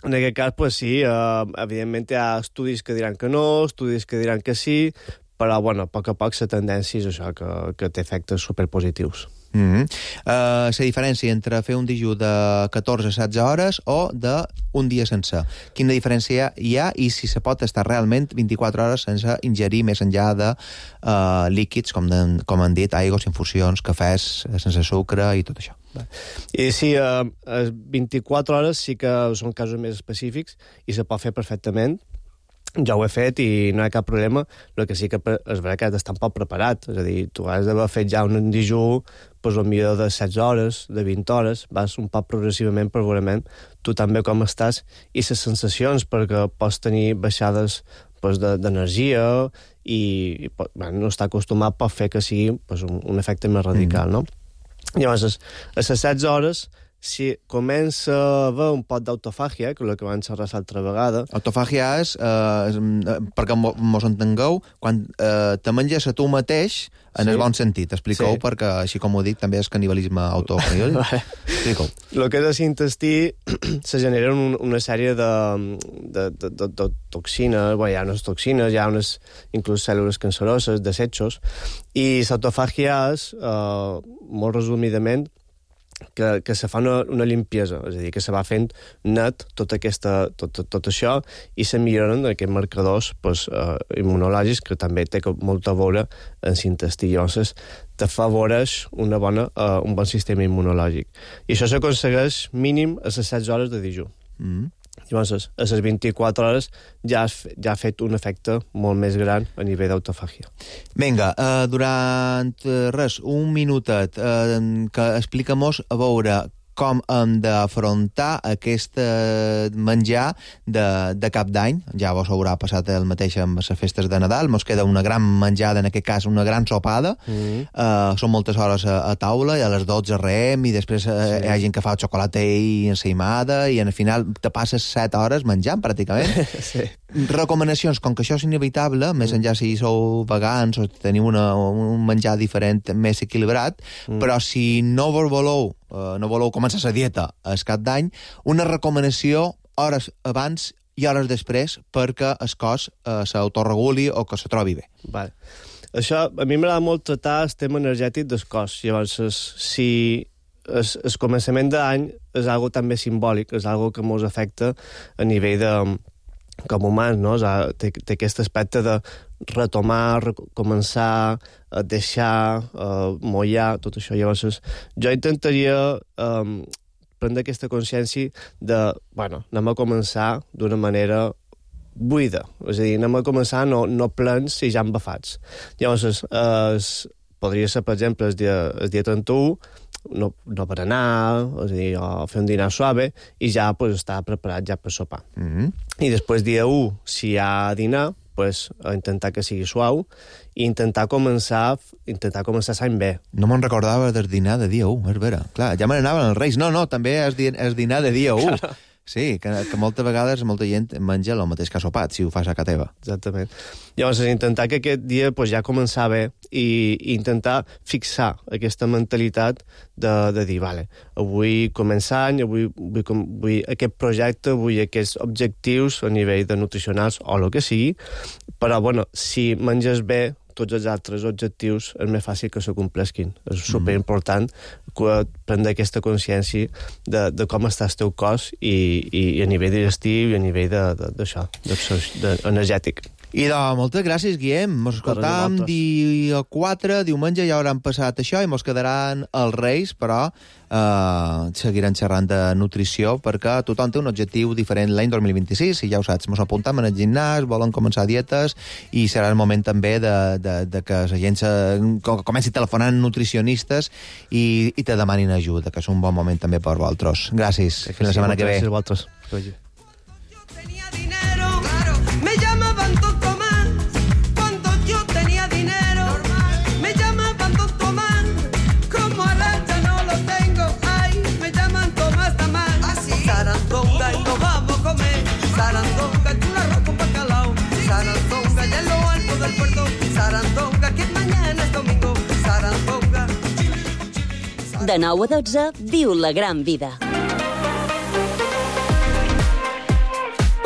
en aquest cas, pues sí, uh, evidentment hi ha estudis que diran que no, estudis que diran que sí, però, bueno, a poc a poc la tendència és això, que, que té efectes superpositius. Mm-hmm. uh, la diferència entre fer un dijú de catorze a setze hores o d'un dia sencer. Quina diferència hi ha i si se pot estar realment vint-i-quatre hores sense ingerir més enllà de uh, líquids, com, de, com han dit, aigües, infusions, cafès, sense sucre i tot això. I sí, uh, vint-i-quatre hores sí que són casos més específics i se pot fer perfectament. Ja ho he fet i no hi ha cap problema. El que sí que és veritat que has d'estar un poc preparat. És a dir, tu has d'haver fet ja un dijú pues, potser de setze hores, de vint hores, vas un poc progressivament, progressivament, tu també com estàs, i les sensacions, perquè pots tenir baixades pues, d'energia i, i bueno, no estar acostumat pot fer que sigui pues, un, un efecte més radical, mm. no? Llavors, a les setze hores, si comença a haver un pot d'autofàgia, que és el que vam xerrar l'altra vegada... Autofàgia és, eh, perquè mos entengueu, quan eh, te menges a tu mateix, en sí. el bon sentit. Expliqueu, sí. perquè, així com ho dic, també és canibalisme autocriol. Expliqueu. El que és l'intestí se generen un, una sèrie de, de, de, de, de toxines, bueno, hi ha unes toxines, hi ha unes inclús cèl·lules canceroses, desechos, i l'autofàgia és, eh, molt resumidament, que, que se fa una, una limpiesa, és a dir, que se va fent net tot, aquesta, tot, tot, tot això i se milloren aquests marcadors pues, eh, immunològics que també té molt a veure en l'intestí. Llavors, t'afavoreix una bona, eh, un bon sistema immunològic. I això s'aconsegueix mínim a les setze hores de dijú. Mm. Llavors, a les vint-i-quatre hores ja has, ja ha fet un efecte molt més gran a nivell d'autofàgia. Vinga, uh, durant res, un minutet, uh, que explica-mos a veure com hem d'afrontar aquest menjar de, de cap d'any. Ja vos haurà passat el mateix amb les festes de Nadal. Mos queda una gran menjada, en aquest cas una gran sopada. Mm-hmm. uh, són moltes hores a, a taula, i a les dotze reem, i després uh, sí. hi ha gent que fa xocolata i ensaïmada, i al final te passes set hores menjant, pràcticament. Sí. Recomanacions, com que això és inevitable, mm. més enllà si sou vegans o teniu una, un menjar diferent, més equilibrat, mm. però si no vos voleu, uh, no voleu començar la dieta al cap d'any, una recomanació hores abans i hores després perquè el cos uh, s'autoreguli o que se trobi bé. Vale. Això, a mi m'agrada molt tractar el tema energètic del cos. Llavors, si el, el començament d'any és algo també simbòlic, és algo que ens afecta a nivell de com humans, no? Té, té aquest aspecte de retomar, començar, a deixar, a mollar, tot això. Llavors, jo intentaria um, prendre aquesta consciència de, bueno, anem a començar d'una manera buida. És a dir, anem a començar no, no plens i ja embafats. Llavors, es, podria ser, per exemple, el dia, el dia trenta-u, no, no per anar, és a dir, o fer un dinar suave, i ja pues, estar preparat ja per sopar. Mm-hmm. I després dia u, si hi ha dinar, pues, intentar que sigui suau i intentar començar intentar començar l'any bé. No me'n recordava del dinar de dia u, és vera. Clar, ja me n'anaven els Reis. No, no, també és, di és dinar de dia u. Claro. Sí, que, que moltes vegades molta gent menja el mateix que ha sopat, si ho fas a casa teva. Exactament. Llavors, intentar que aquest dia pues, ja començar bé i, i intentar fixar aquesta mentalitat de, de dir, vale, avui començar any, avui vull, vull aquest projecte, vull aquests objectius a nivell de nutricionals o el que sigui, però, bueno, si menges bé, tots els altres objectius és més fàcil que se complesquin. És superimportant prendre aquesta consciència de, de com està el teu cos i, i, i a nivell digestiu i a nivell d'això, energètic. I doncs, moltes gràcies, Guillem. Mos escoltam dia quatre, diumenge ja hauran passat això i mos quedaran els Reis, però eh, seguiran xerrant de nutrició perquè tothom té un objectiu diferent l'any dos mil vint-i-sis, i ja ho saps, mos apuntam en el gimnàs, volen començar dietes i serà el moment també de, de, de que la gent se, comenci telefonant nutricionistes i, i te demanin ajuda, que és un bon moment també per vosaltres. Gràcies. Sí, fins la setmana que ve. Gràcies a vosaltres. Me llamaban Don Tomás cuando yo tenía dinero. Me llamaban Don Tomás, como Arracha no lo tengo. Ay, me llaman Tomás Tamás. Sarandonga y nos vamos a comer. Sarandonga y un arroz con bacalao. Sarandonga ya en lo alto del puerto. Sarandonga que mañana es domingo. Sarandonga. De nou a dotze, viu la gran vida.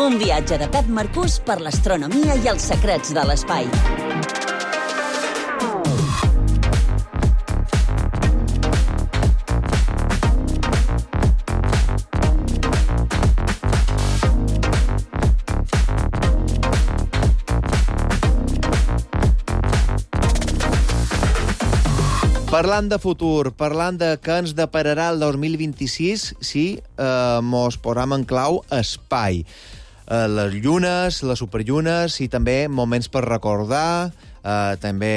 Un viatge de Pep Marcús per l'astronomia i els secrets de l'espai. Parlant de futur, parlant de què ens depararà el dos mil vint-i-sis, sí, eh, mos posam en clau espai. Eh, les llunes, les superllunes i també moments per recordar, eh, també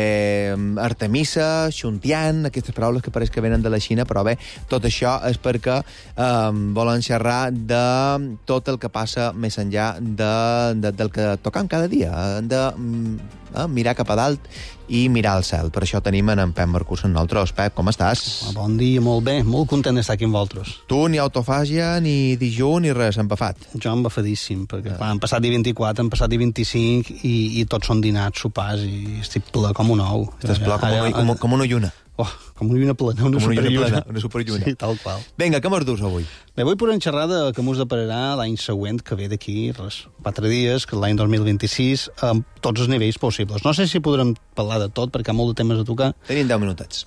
Artemisa, Xuntian, aquestes paraules que pareix que venen de la Xina, però bé, tot això és perquè eh, volen xerrar de tot el que passa més enllà de, de, del que tocam cada dia, de eh, mirar cap a dalt i mirar al cel. Per això tenim en Pep Marcús amb nosaltres. Pep, com estàs? Bon dia, molt bé. Molt content d'estar aquí amb vosaltres. Tu ni autofàgia, ni dijú, ni res, empafat. Jo embafadíssim, perquè clar, han passat dia vint-i-quatre, han passat dia vint-i-cinc i, i tots són dinats, sopars, i estic ple com un ou. Estàs ple com, una, com, com una lluna. Oh, com una lluna plena, una superlluna. Una superlluna. Sí, tal qual. Vinga, què mos dus avui? Bé, avui podem xerrar de que mos depararà l'any següent, que ve d'aquí, res, quatre dies, que l'any dos mil vint-i-sis, amb tots els nivells possibles. No sé si podrem parlar de tot, perquè hi ha molt de temes a tocar. Tenim deu minutets.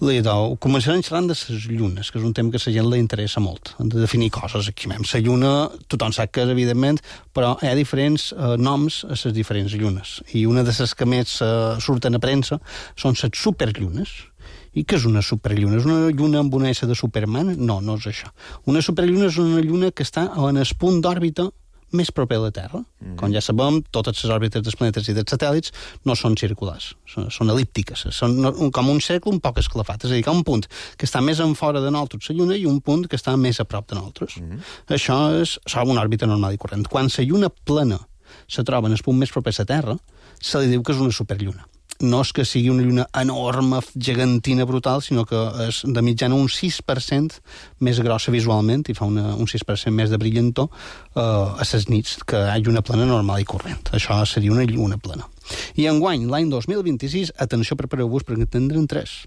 Començarem xerrant de les llunes, que és un tema que a la gent li interessa molt. Hem de definir coses aquí. La lluna, tothom sap que és, evidentment, però hi ha diferents eh, noms a les diferents llunes. I una de les que més eh, surten a premsa són les superllunes. I què és una superlluna? És una lluna amb una S de Superman? No, no és això. Una superlluna és una lluna que està en el punt d'òrbita més proper a la Terra. Mm. Com ja sabem, totes les òrbites dels planetes i dels satèl·lits no són circulars, són, són elíptiques, són un, com un cercle un poc esclafat. És a dir, que hi ha un punt que està més en fora de nosaltres, la lluna, i un punt que està més a prop de nosaltres. Mm. Això és, és una òrbita normal i corrent. Quan la lluna plana se troba en el punt més proper a la Terra, se li diu que és una superlluna. No és que sigui una lluna enorme, gegantina, brutal, sinó que és de mitjana un sis per cent més grossa visualment i fa una, un sis per cent més de brillantor eh, a les nits que hi ha lluna plana normal i corrent. Això seria una lluna plana. I enguany, l'any dos mil vint-i-sis, atenció, prepareu-vos perquè en tindrem tres.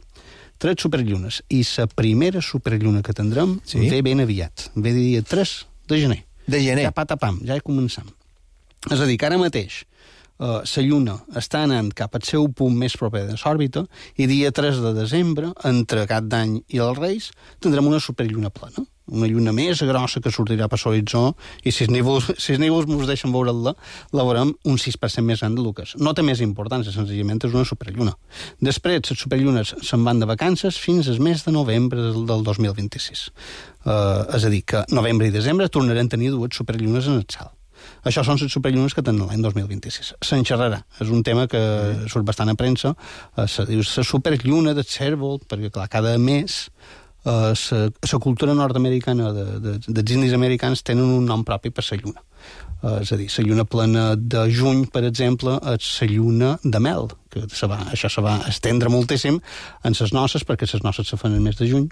Tres superllunes. I la primera superlluna que tindrem sí? ve ben aviat. Ve dia tres de gener. De gener? Ja patapam, ja hi començam. És a dir, que ara mateix Uh, la Lluna està anant cap al seu punt més proper de l'òrbita i dia tres de desembre, entre Cap d'Any i els Reis, tindrem una superlluna plana. Una lluna més grossa que sortirà per l'horitzó i si els nívols, si els nívols ens deixen veure-la, la veurem un sis per cent més gran del que és. No té més importància, senzillament és una superlluna. Després, les superllunes se'n van de vacances fins al mes de novembre del, del dos mil vint-i-sis. Uh, és a dir, que novembre i desembre tornarem a tenir dues superllunes en el cel. Això són les superllunes que tenen l'any dos mil vint-i-sis. Se'n xerrarà. És un tema que mm. surt bastant a premsa. Uh, se diu la superlluna del cèrvol, perquè, clar, cada mes uh, la cultura nord-americana de, de, dels indis americans tenen un nom propi per la lluna. Uh, és a dir, la lluna plena de juny, per exemple, és la lluna de mel, que se va, això se va estendre moltíssim en les noces, perquè les noces se fan el mes de juny,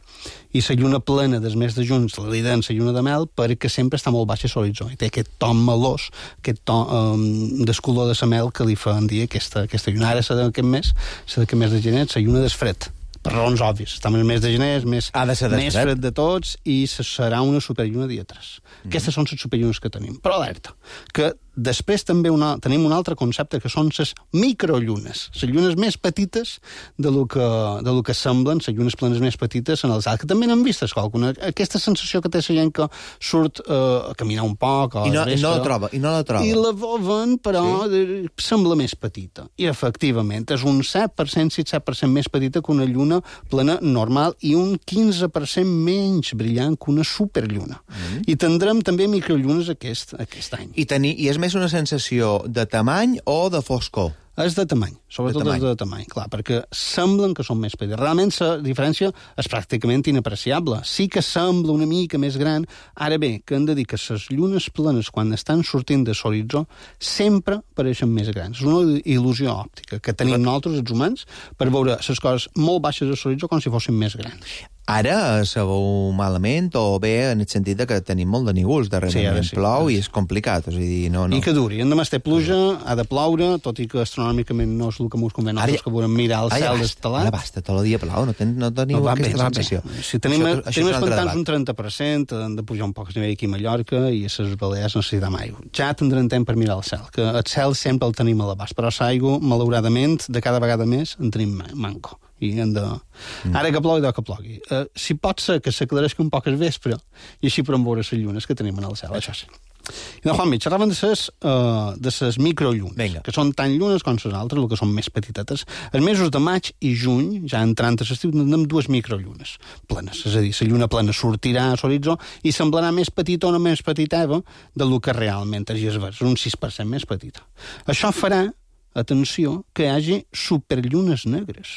i la lluna plena del mes de juny se li den la lluna de mel perquè sempre està molt baixa a l'horitzó, i té aquest to melós, aquest to um, del color de la mel que li fan dir aquesta, aquesta lluna. Ara, la d'aquest mes, la d'aquest mes de gener, la lluna del fred, per raons òbvies. Estem en el mes de gener, és més, ha de ser més fred de tots, i serà una superlluna dia tres. Mm. Aquestes són les superllunes que tenim. Però alerta, que després també una, tenim un altre concepte, que són les microllunes, les llunes més petites de lo que, de lo que semblen, les llunes planes més petites en el cel, que també n'han vistes qualcuna. Aquesta sensació que té la gent que surt eh, a caminar un poc, o I no, vespre, i no la troba, i no la troba. I la veuen, però sí? sembla més petita. I efectivament, és un set per cent, sis per cent més petita que una lluna plana normal i un quinze per cent menys brillant que una superlluna. Mm. I tindrem també microllunes aquest, aquest any. I, tenir, I és més una sensació de tamany o de foscor? És de tamany, sobretot de tamany. és de tamany, clar, perquè semblen que són més petites. Realment la diferència és pràcticament inapreciable. Sí que sembla una mica més gran. Ara bé, que hem de dir que les llunes planes, quan estan sortint de l'horitzó, sempre pareixen més grans. És una il·lusió òptica que tenim Però... nosaltres, els humans, per veure les coses molt baixes de l'horitzó com si fossin més grans. Ara sabeu malament o bé en el sentit que tenim molt de nívols darrerament, sí, sí, plou sí. I és complicat. O sigui, no, no. I que duri. Demà té pluja, ha de ploure, tot i que astronòmicament no és el que ens convé nosaltres, ja, que volem mirar el cel estelat. Ara basta, tot el dia plou, no, ten, no teniu no, aquesta bé, sensació. Si tenim, això, tenim els pantans un trenta per cent, han de pujar un poc a nivell aquí a Mallorca i a les Balears necessitem aigua. Ja tindrem temps per mirar el cel, que el cel sempre el tenim a l'abast, però l'aigua, malauradament, de cada vegada més en tenim manco. I hem de... Mm. Ara que plogui, que plogui. Uh, si pot ser que s'aclareixi un poc el vespre i així podem veure les llunes que tenim en el cel, això sí. I de Juanmi, xerraven de ses, uh, de ses microllunes, Venga. que són tan llunes com les altres, el que són més petitetes. Els mesos de maig i juny, ja entrant a l'estiu, tindrem dues microllunes plenes. És a dir, la lluna plena sortirà a l'horitzó i semblarà més petita o no més petitava del que realment és és un sis per cent més petita. Això farà, atenció, que hi hagi superllunes negres.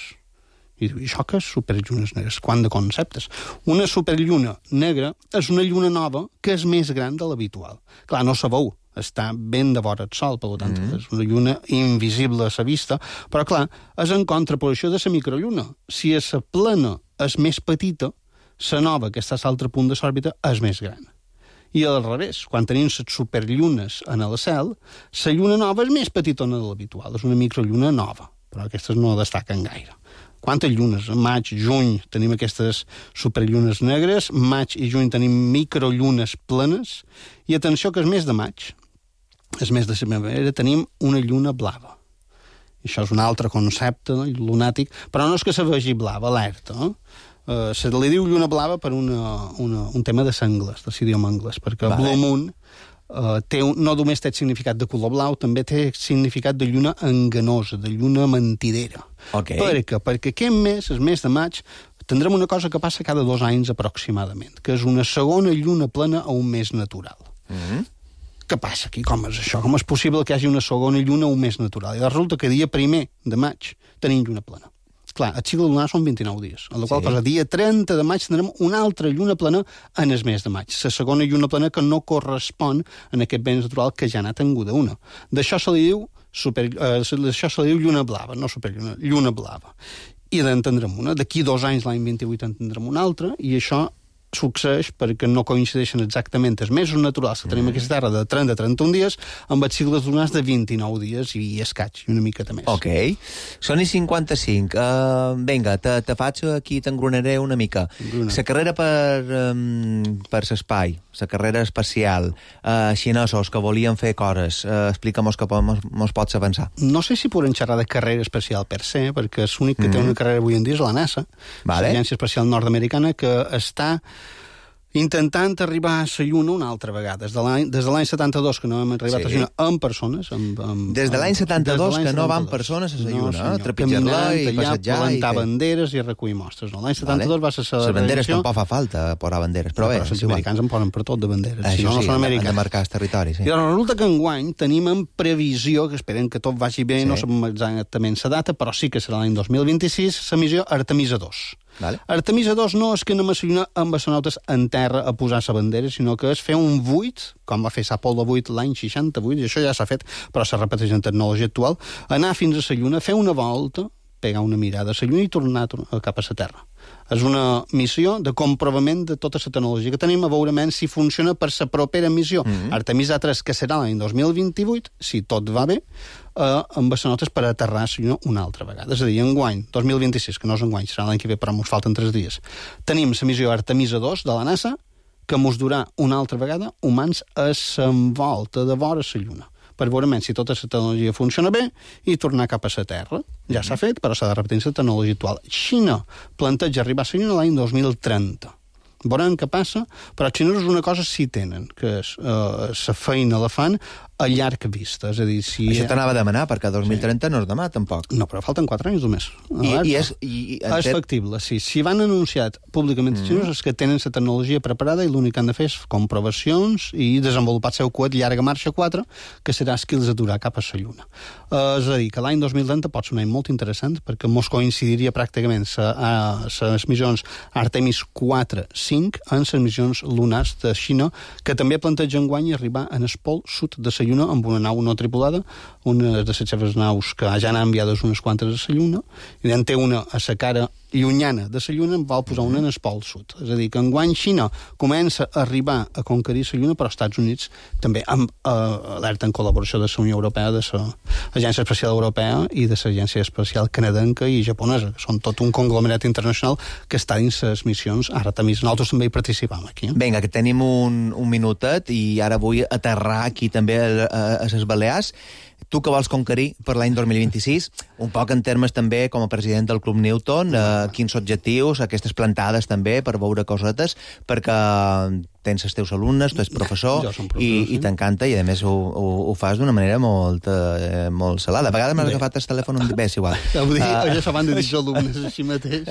I diu, això què és superllunes negres? Quant de conceptes? Una superlluna negra és una lluna nova que és més gran de l'habitual. Clar, no se veu, està ben de vora el sol, per tant, mm. és una lluna invisible a la vista, però clar, és en contraposició de la microlluna. Si a la plena és més petita, la nova, que està a l'altre punt de l'òrbita, és més gran. I al revés, quan tenim les superllunes en el cel, la lluna nova és més petitona de l'habitual, és una microlluna nova, però aquestes no destaquen gaire. Quantes llunes? Maig, juny tenim aquestes superllunes negres, maig i juny tenim microllunes plenes, i atenció que el mes de maig, el mes de primavera, tenim una lluna blava. I això és un altre concepte, no? Lunàtic, però no és que se vegi blava, alerta, no? Uh, se li diu lluna blava per una, una, un tema de l'anglès, de l'idioma anglès, perquè vale. Blue Moon uh, té un, no només té significat de color blau, també té significat de lluna enganosa, de lluna mentidera. Okay. Per què? Perquè aquest mes, el mes de maig, tindrem una cosa que passa cada dos anys aproximadament, que és una segona lluna plena a un mes natural. Mm-hmm. Què passa aquí? Com és això? Com és possible que hi hagi una segona lluna a un mes natural? I resulta que dia primer de maig tenim lluna plena. Clar, el cicle lunar són vint-i-nou dies, en la qual sí. cosa, dia trenta de maig tindrem una altra lluna plena en el mes de maig. La segona lluna plena que no correspon a aquest mes natural que ja n'ha tinguda una. D'això se li diu, super, eh, d'això se li diu lluna blava, no superlluna, lluna blava. I en tindrem una. D'aquí dos anys, l'any vint-i-vuit, en tindrem una altra, i això succeeix perquè no coincideixen exactament els mesos naturals que tenim mm. aquesta terra de trenta a trenta-un dies amb els cicles lunars de vint-i-nou dies i escaig, i una miqueta més. Ok. Són i cinquanta-cinc. Uh, vinga, te, te faig aquí, t'engronaré una mica. La carrera per, um, per l'espai, la carrera espacial, uh, xinesos que volien fer coses, uh, explica-mos que mos, mos pots avançar. No sé si podem xerrar de carrera espacial per se, perquè és l'únic que mm. té una carrera avui en dia és la NASA, vale. L'Agència Espacial Nord-Americana, que està intentant arribar a la Lluna una altra vegada. Des de l'any, des de l'any setanta-dos que no hem arribat sí. a la Lluna amb persones. Amb, amb, des de l'any setanta-dos que no van persones a la Lluna, no, eh? Trepitjar-la i passejar. Plantar i banderes i recollir mostres. No? L'any setanta-dos vale. va ser la Les banderes tampoc fa falta posar banderes, però no, bé. Però els americans en posen per tot de banderes. Això si no, sí, no són han de marcar el territori. Sí. I doncs resulta que enguany tenim en previsió, que esperem que tot vagi bé, sí. no sabem exactament la data, però sí que serà l'any dos mil vint-i-sis, la missió Artemisa dos. Vale. Artemisa dos no és que anem a la Lluna amb astronautes en terra a posar la bandera, sinó que és fer un vuit, com va fer l'Apol·lo vuit l'any seixanta-vuit, i això ja s'ha fet, però se repeteix en tecnologia actual, anar fins a la Lluna, fer una volta, pegar una mirada a la Lluna i tornar cap a la Terra. És una missió de comprovament de tota la tecnologia que tenim, a veure si funciona per la propera missió. Mm-hmm. Artemisa tres, que serà l'any dos mil vint-i-vuit, si tot va bé, eh, amb astronautes per aterrar a la Lluna una altra vegada. És a dir, enguany, dos mil vint-i-sis, que no és enguany, serà l'any que ve, però ens falten tres dies, tenim la missió Artemisa dos de la NASA, que ens durà una altra vegada humans a l'envolta de vora la Lluna, per veure si tota la tecnologia funciona bé i tornar cap a la Terra. Ja s'ha fet, però s'ha de repetir la tecnologia actual. Xina planteja arribar a la Lluna l'any dos mil trenta. Veurem què passa, però els xinesos una cosa sí tenen, que és la eh, feina la fan a llarg vista. És a dir, si... Això t'anava a demanar, perquè dos mil trenta sí. no és demà, tampoc. No, però falten quatre anys només. I, i és, i, i és factible, sí. Si van anunciat públicament els mm. xinesos és que tenen la tecnologia preparada i l'únic que han de fer és comprovacions i desenvolupar el seu coet Llarga Marxa quatre, que serà el que els aturarà cap a la Lluna. Uh, és a dir, que l'any dos mil trenta pot ser un any molt interessant, perquè mos coincidiria pràcticament les missions Artemis quatre cinc en les missions lunars de Xina, que també planteja enguany arribar en el pol sud de la Lluna amb una nau no tripulada, una de les seves naus que ja n'ha enviades unes quantes a la Lluna, i en té una a la cara llunyana de la Lluna, en vol posar una en el pol sud. És a dir, que enguany Xina comença a arribar a conquerir la Lluna, però els Estats Units també amb eh, alerta en col·laboració de la Unió Europea, de l'Agència Espacial Europea i de l'Agència Espacial Canadenca i japonesa, que són tot un conglomerat internacional que està dins les missions Artemis. Nosaltres també hi participam aquí. Eh? Vinga, que tenim un, un minutet i ara vull aterrar aquí també a, a, a les Balears. Tu que vols conquerir per l'any dos mil vint-i-sis, un poc en termes també com a president del Club Newton, eh, quins objectius, aquestes plantades també, per veure cosetes, perquè tens els teus alumnes, tu ets professor, Jo som professor, i, sí. i t'encanta, i a més ho, ho, ho fas d'una manera molt, eh, molt salada. A vegades m'has agafat el telèfon un... Bé, és igual. Vull dir, Ah, uh, ja s'han de dir els alumnes així mateix.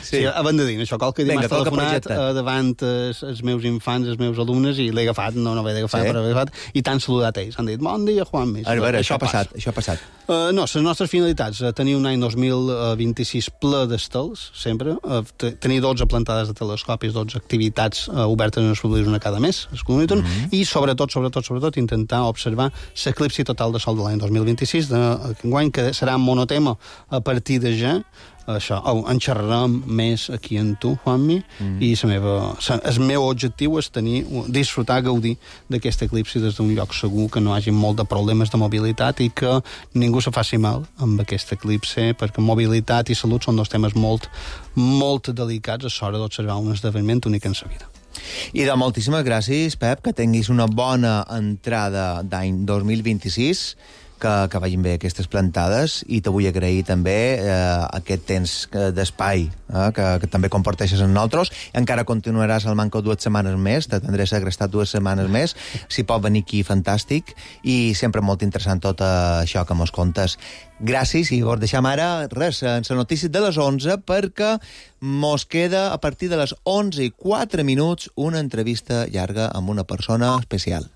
Sí. Sí, abans de dir això, qualque dia Vinga, m'has toca telefonat projecte. uh, davant els, els meus infants, els meus alumnes, i l'he agafat, no, no l'he agafat, Sí? però l'he agafat, i t'han saludat ells. Han dit, bon dia, Juanmi. A veure, això ha passat, això ha passat. Uh, no, les nostres finalitats, uh, tenir un any dos mil vint-i-sis ple d'estels, sempre, uh, te- tenir dotze plantades de telescopis, dotze activitats uh, obertes en els públics, una cada mes, es comuniten, mm -hmm. i sobretot, sobretot, sobretot, intentar observar l'eclipsi total de sol de l'any dos mil vint-i-sis, d'enguany, que serà monotema a partir de ja. Això, oh, en xerrarem més aquí en tu, Juanmi, mm. i la meva, sa, el meu objectiu és tenir, disfrutar, gaudir d'aquest eclipsi des d'un lloc segur, que no hagi molt de problemes de mobilitat i que ningú se faci mal amb aquest eclipsi, perquè mobilitat i salut són dos temes molt, molt delicats a l'hora d'observar un esdeveniment únic en sa vida. I de moltíssimes gràcies, Pep, que tinguis una bona entrada d'any dos mil vint-i-sis, que, que vagin bé aquestes plantades, i te vull agrair també eh, aquest temps d'espai eh, que, que també comparteixes amb nosaltres. Encara continuaràs al Manco dues setmanes més, te tindré segrestat dues setmanes més, si pot venir aquí, fantàstic, i sempre molt interessant tot això que mos contes. Gràcies, i vos deixam ara, res, en les notícies de les onze, perquè mos queda, a partir de les onze i quatre minuts, una entrevista llarga amb una persona especial.